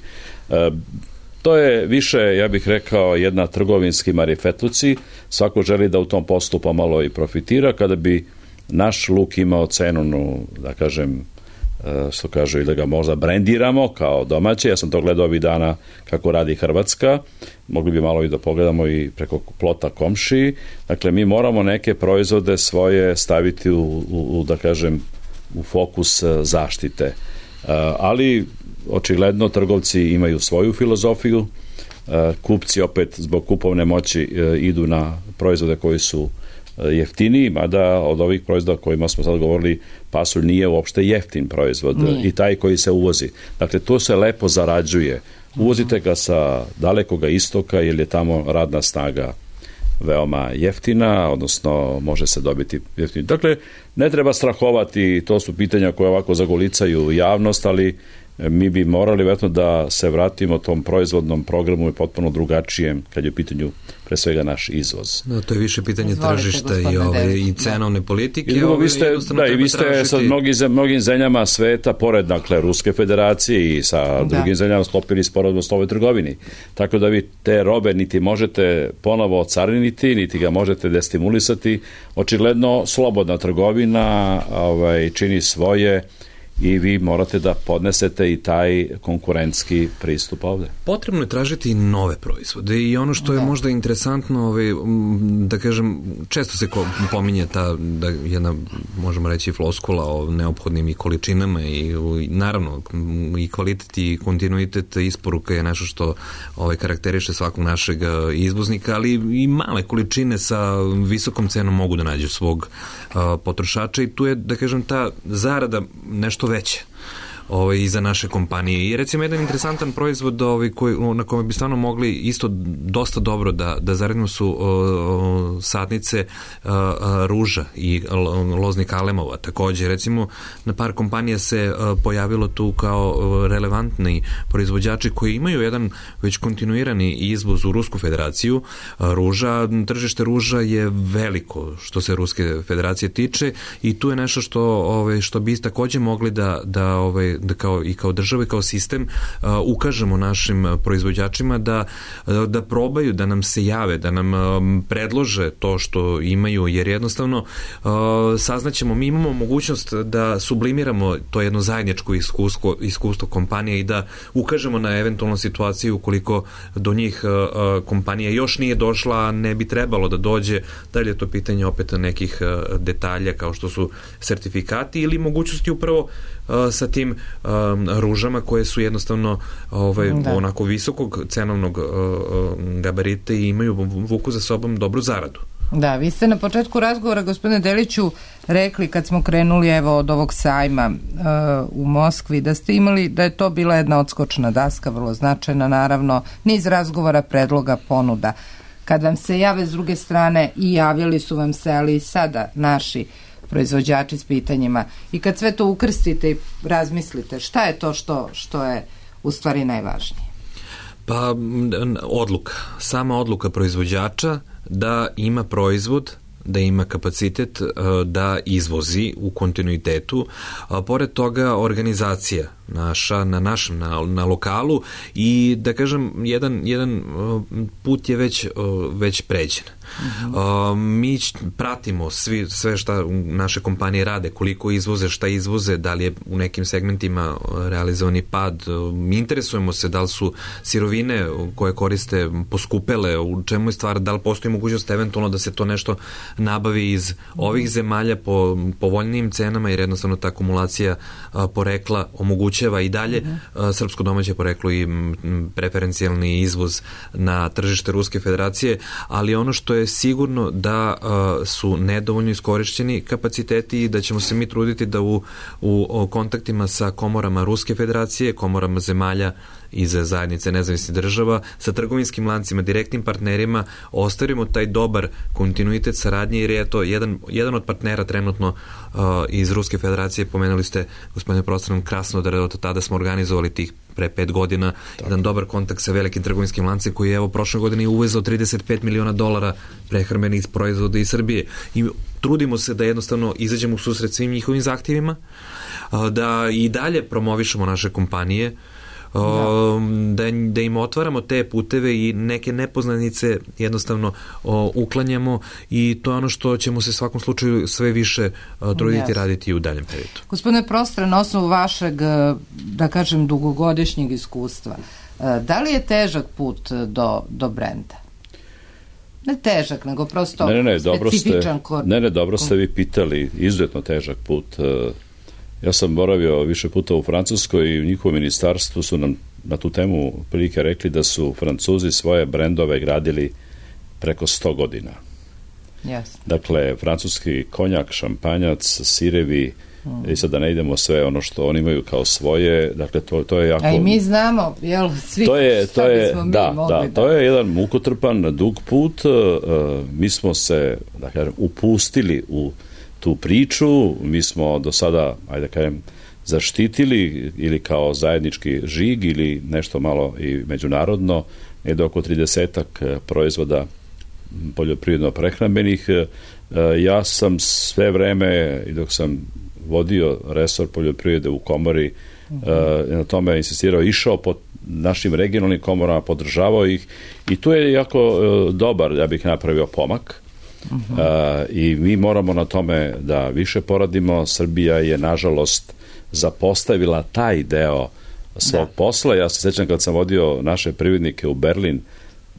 Uh, to je više, ja bih rekao, jedna trgovinski marifetluci. Svako želi da u tom poslu pomalo i profitira. Kada bi naš luk imao cenu, da kažem, uh, što kažu, i da ga možda brendiramo kao domaće. Ja sam to gledao ovih dana kako radi Hrvatska. Mogli bi malo i da pogledamo i preko plota komšiji. Dakle, mi moramo neke proizvode svoje staviti u, u, u da kažem, u fokus zaštite. Ali, očigledno, trgovci imaju svoju filozofiju. Kupci opet zbog kupovne moći idu na proizvode koji su jeftiniji, mada od ovih proizvoda kojima smo sad govorili, pasulj nije uopšte jeftin proizvod, nije. I taj koji se uvozi. Dakle, to se lepo zarađuje. Uvozite ga sa dalekoga istoka jer je tamo radna snaga veoma jeftina, odnosno može se dobiti jeftin. Dakle, ne treba strahovati, to su pitanja koje ovako zagolicaju javnost, ali mi bi morali vjerojatno da se vratimo tom proizvodnom programu i potpuno drugačijem kad je u pitanju pre svega naš izvoz. No, to je više pitanje Izvolite, tržišta i, ove, i cenovne politike. I drugo, vi ste, da, i vi ste tražiti... sa mnogim, mnogim zemljama sveta, pored dakle Ruske federacije i sa da. drugim zemljama sklopili sporazum o slobodnoj trgovini. Tako da vi te robe niti možete ponovo ocariniti, niti ga možete destimulisati. Očigledno slobodna trgovina ovaj, čini svoje i vi morate da podnesete i taj konkurentski pristup ovde. Potrebno je tražiti nove proizvode i ono što je da. možda interesantno, ovaj, da kažem, često se pominje ta, da jedna, možemo reći, floskula o neophodnim i količinama i, i naravno i kvalitet i kontinuitet isporuka je nešto što ovaj, karakteriše svakog našeg izvoznika, ali i male količine sa visokom cenom mogu da nađu svog uh, potrošača i tu je, da kažem, ta zarada nešto veće ovaj, i za naše kompanije. I recimo jedan interesantan proizvod ovaj, koji, na kome bi stvarno mogli isto dosta dobro da, da zaredimo su o, o, sadnice o, o, ruža i loznih alemova. Također, recimo, na par kompanija se o, pojavilo tu kao o, relevantni proizvođači koji imaju jedan već kontinuirani izvoz u Rusku federaciju. O, ruža, tržište ruža je veliko što se Ruske federacije tiče i tu je nešto što, ovaj, što bi također mogli da, da ovaj, da kao, i kao država i kao sistem uh, ukažemo našim proizvođačima da, da probaju, da nam se jave, da nam um, predlože to što imaju, jer jednostavno uh, saznaćemo, mi imamo mogućnost da sublimiramo to jedno zajedničko iskustvo, iskustvo kompanije i da ukažemo na eventualnu situaciju ukoliko do njih uh, kompanija još nije došla, ne bi trebalo da dođe, da li je to pitanje opet nekih uh, detalja kao što su sertifikati ili mogućnosti upravo uh, sa tim Um, ružama koje su jednostavno ovaj, onako visokog cenovnog uh, gabarita i imaju vuku za sobom dobru zaradu. Da, vi ste na početku razgovora, gospodine Deliću, rekli kad smo krenuli evo od ovog sajma uh, u Moskvi, da ste imali, da je to bila jedna odskočna daska, vrlo značajna naravno, niz razgovora, predloga, ponuda. Kad vam se jave s druge strane i javljali su vam se, ali i sada naši proizvođači s pitanjima i kad sve to ukrstite i razmislite, šta je to što, što je u stvari najvažnije? Pa odluka, sama odluka proizvođača da ima proizvod, da ima kapacitet da izvozi u kontinuitetu, a pored toga organizacija naša, na našem, na, na lokalu i da kažem, jedan, jedan put je već, već pređen. Mm-hmm. Uh, mi pratimo svi, sve šta naše kompanije rade, koliko izvoze, šta izvoze, da li je u nekim segmentima realizovani pad, mi interesujemo se da li su sirovine koje koriste poskupele, u čemu je stvar, da li postoji mogućnost eventualno da se to nešto nabavi iz ovih zemalja po povoljnijim cenama, jer jednostavno ta akumulacija a, porekla omogućava i dalje a, srpsko domaće poreklo i m, preferencijalni izvoz na tržište Ruske federacije, ali ono što je sigurno da a, su nedovoljno iskorišćeni kapaciteti i da ćemo se mi truditi da u, u kontaktima sa komorama Ruske federacije, komorama zemalja iz zajednice nezavisnih država, sa trgovinskim lancima, direktnim partnerima, ostavimo taj dobar kontinuitet saradnje, jer je to jedan, jedan od partnera trenutno uh, iz Ruske federacije, pomenuli ste, gospodine Prostran, Krasnodar, od tada smo organizovali tih pre pet godina, tako, jedan dobar kontakt sa velikim trgovinskim lancem koji je evo prošle godine uvezao trideset pet miliona dolara prehrambenih proizvoda iz Srbije. I trudimo se da jednostavno izađemo u susret svim njihovim zahtjevima, uh, da i dalje promovišemo naše kompanije, da, da im otvaramo te puteve i neke nepoznanice jednostavno o, uklanjamo i to je ono što ćemo se svakom slučaju sve više o, truditi yes. raditi u daljem periodu. Gospodine Prostre, na osnovu vašeg, da kažem, dugogodišnjeg iskustva, da li je težak put do, do brenda? Ne težak, nego prosto ne, ne, ne, dobro specifičan ste, kod... Ne, ne, dobro ste vi pitali, izuzetno težak put. Ja sam boravio više puta u Francuskoj i u njihovom ministarstvu su nam na tu temu prilike rekli da su Francuzi svoje brendove gradili preko sto godina. Yes. Dakle, francuski konjak, šampanjac, sirevi, mm. i sad da ne idemo sve ono što oni imaju kao svoje, dakle to, to je jako... A i mi znamo, jel, svi to je, to je, bismo mi da, mogli da, da... to je jedan mukotrpan, dug put, uh, mi smo se, da kažem, upustili u tu priču, mi smo do sada, ajde da kažem, zaštitili ili kao zajednički žig ili nešto malo i međunarodno, je oko tridesetak proizvoda poljoprivredno-prehrambenih. Ja sam sve vreme, i dok sam vodio resor poljoprivrede u komori, na tome insistirao, išao po našim regionalnim komorama, podržavao ih i tu je jako dobar, ja bih napravio pomak. Uh, i mi moramo na tome da više poradimo. Srbija je nažalost zapostavila taj deo svog da. posla. Ja se sećam kad sam vodio naše privrednike u Berlin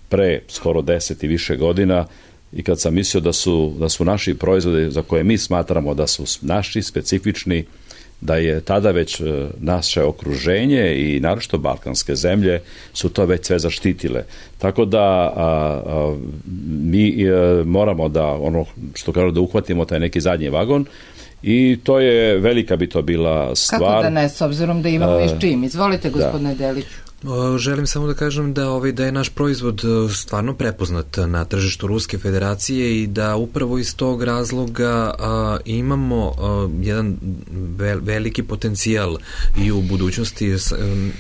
pre skoro deset i više godina i kad sam mislio da su, da su naši proizvodi za koje mi smatramo da su naši specifični, da je tada već naše okruženje i naročito balkanske zemlje su to već sve zaštitile. Tako da a, a, mi a, moramo da ono što kažu da uhvatimo taj neki zadnji vagon i to je velika bi to bila stvar. Kako da ne, s obzirom da imamo i s čim? Izvolite, gospodine da. Delić. Želim samo da kažem da ovaj da je naš proizvod stvarno prepoznat na tržištu Ruske Federacije i da upravo iz tog razloga a, imamo a, jedan vel, veliki potencijal i u budućnosti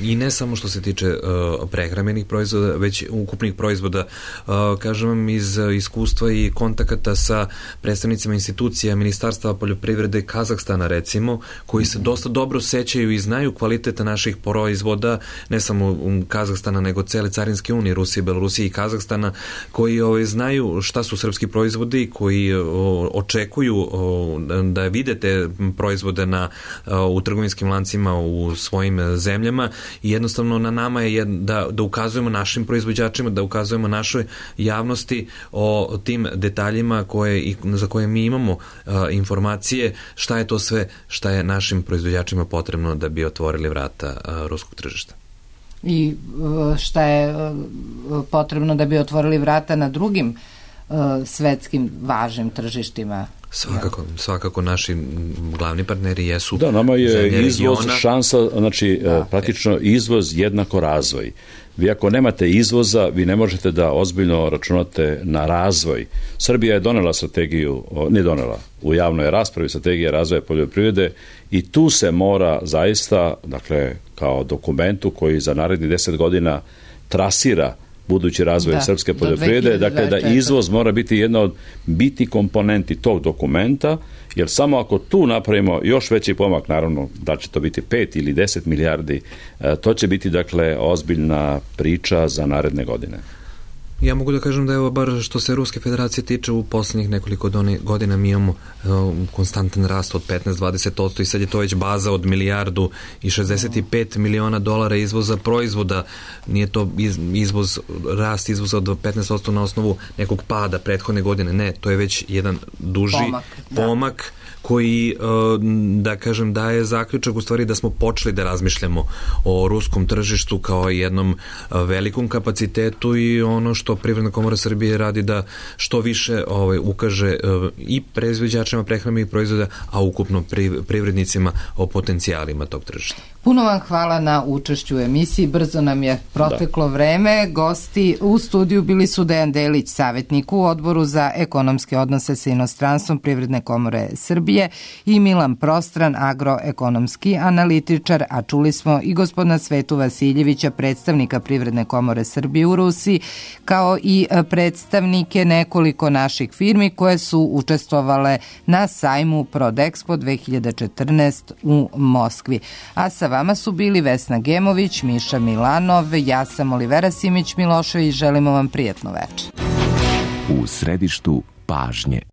i ne samo što se tiče a, prehrambenih proizvoda, već ukupnih proizvoda. A, kažem vam iz iskustva i kontakata sa predstavnicima institucija Ministarstva poljoprivrede Kazahstana recimo, koji se dosta dobro sećaju i znaju kvaliteta naših proizvoda, ne samo Kazahstana, nego cele carinske unije, Rusije, Belorusije i Kazahstana, koji ovaj, znaju šta su srpski proizvodi, koji o, očekuju o, da vide te proizvode na, o, u trgovinskim lancima u svojim zemljama i jednostavno na nama je da, da ukazujemo našim proizvođačima, da ukazujemo našoj javnosti o tim detaljima koje, i, za koje mi imamo a, informacije, šta je to sve šta je našim proizvođačima potrebno da bi otvorili vrata a, ruskog tržišta. I šta je potrebno da bi otvorili vrata na drugim uh, svetskim važnim tržištima. Svakako, svakako naši glavni partneri jesu. Da, nama je izvoz regiona. Šansa, znači da, praktično izvoz jednako razvoj. Vi ako nemate izvoza, vi ne možete da ozbiljno računate na razvoj. Srbija je donela strategiju, ne donela, u javnoj raspravi strategija razvoja poljoprivrede i tu se mora zaista, dakle, kao dokumentu koji za narednih deset godina trasira budući razvoj da, srpske poljoprivrede, dakle da izvoz mora biti jedna od biti komponenti tog dokumenta, jer samo ako tu napravimo još veći pomak, naravno da će to biti pet ili deset milijardi, to će biti dakle ozbiljna priča za naredne godine. Ja mogu da kažem da evo bar što se Ruske Federacije tiče u poslednjih nekoliko godina mi imamo uh, konstantan rast od petnaest do dvadeset posto i sad je to već baza od milijardu i šezdeset pet miliona dolara izvoza proizvoda. Nije to iz, izvoz, rast izvoza od petnaest posto na osnovu nekog pada prethodne godine. Ne, to je već jedan duži pomak, pomak koji, da kažem, daje zaključak u stvari da smo počeli da razmišljamo o ruskom tržištu kao jednom velikom kapacitetu i ono što Privredna komora Srbije radi da što više ovaj, ukaže i proizvođačima prehrambenih proizvoda, a ukupno privrednicima o potencijalima tog tržišta. Puno vam hvala na učešću u emisiji. Brzo nam je proteklo da. vreme. Gosti u studiju bili su Dejan Delić, savjetnik u Odboru za ekonomske odnose sa inostranstvom Privredne komore Srbije, Srbije i Milan Prostran, agroekonomski analitičar, a čuli smo i gospodina Svetu Vasiljevića, predstavnika Privredne komore Srbije u Rusiji, kao i predstavnike nekoliko naših firmi koje su učestvovale na sajmu Prodexpo dve hiljade četrnaest u Moskvi. A sa vama su bili Vesna Gemović, Miša Milanov, ja sam Olivera Simić Milošević, želimo vam prijatno večer. U središtu pažnje.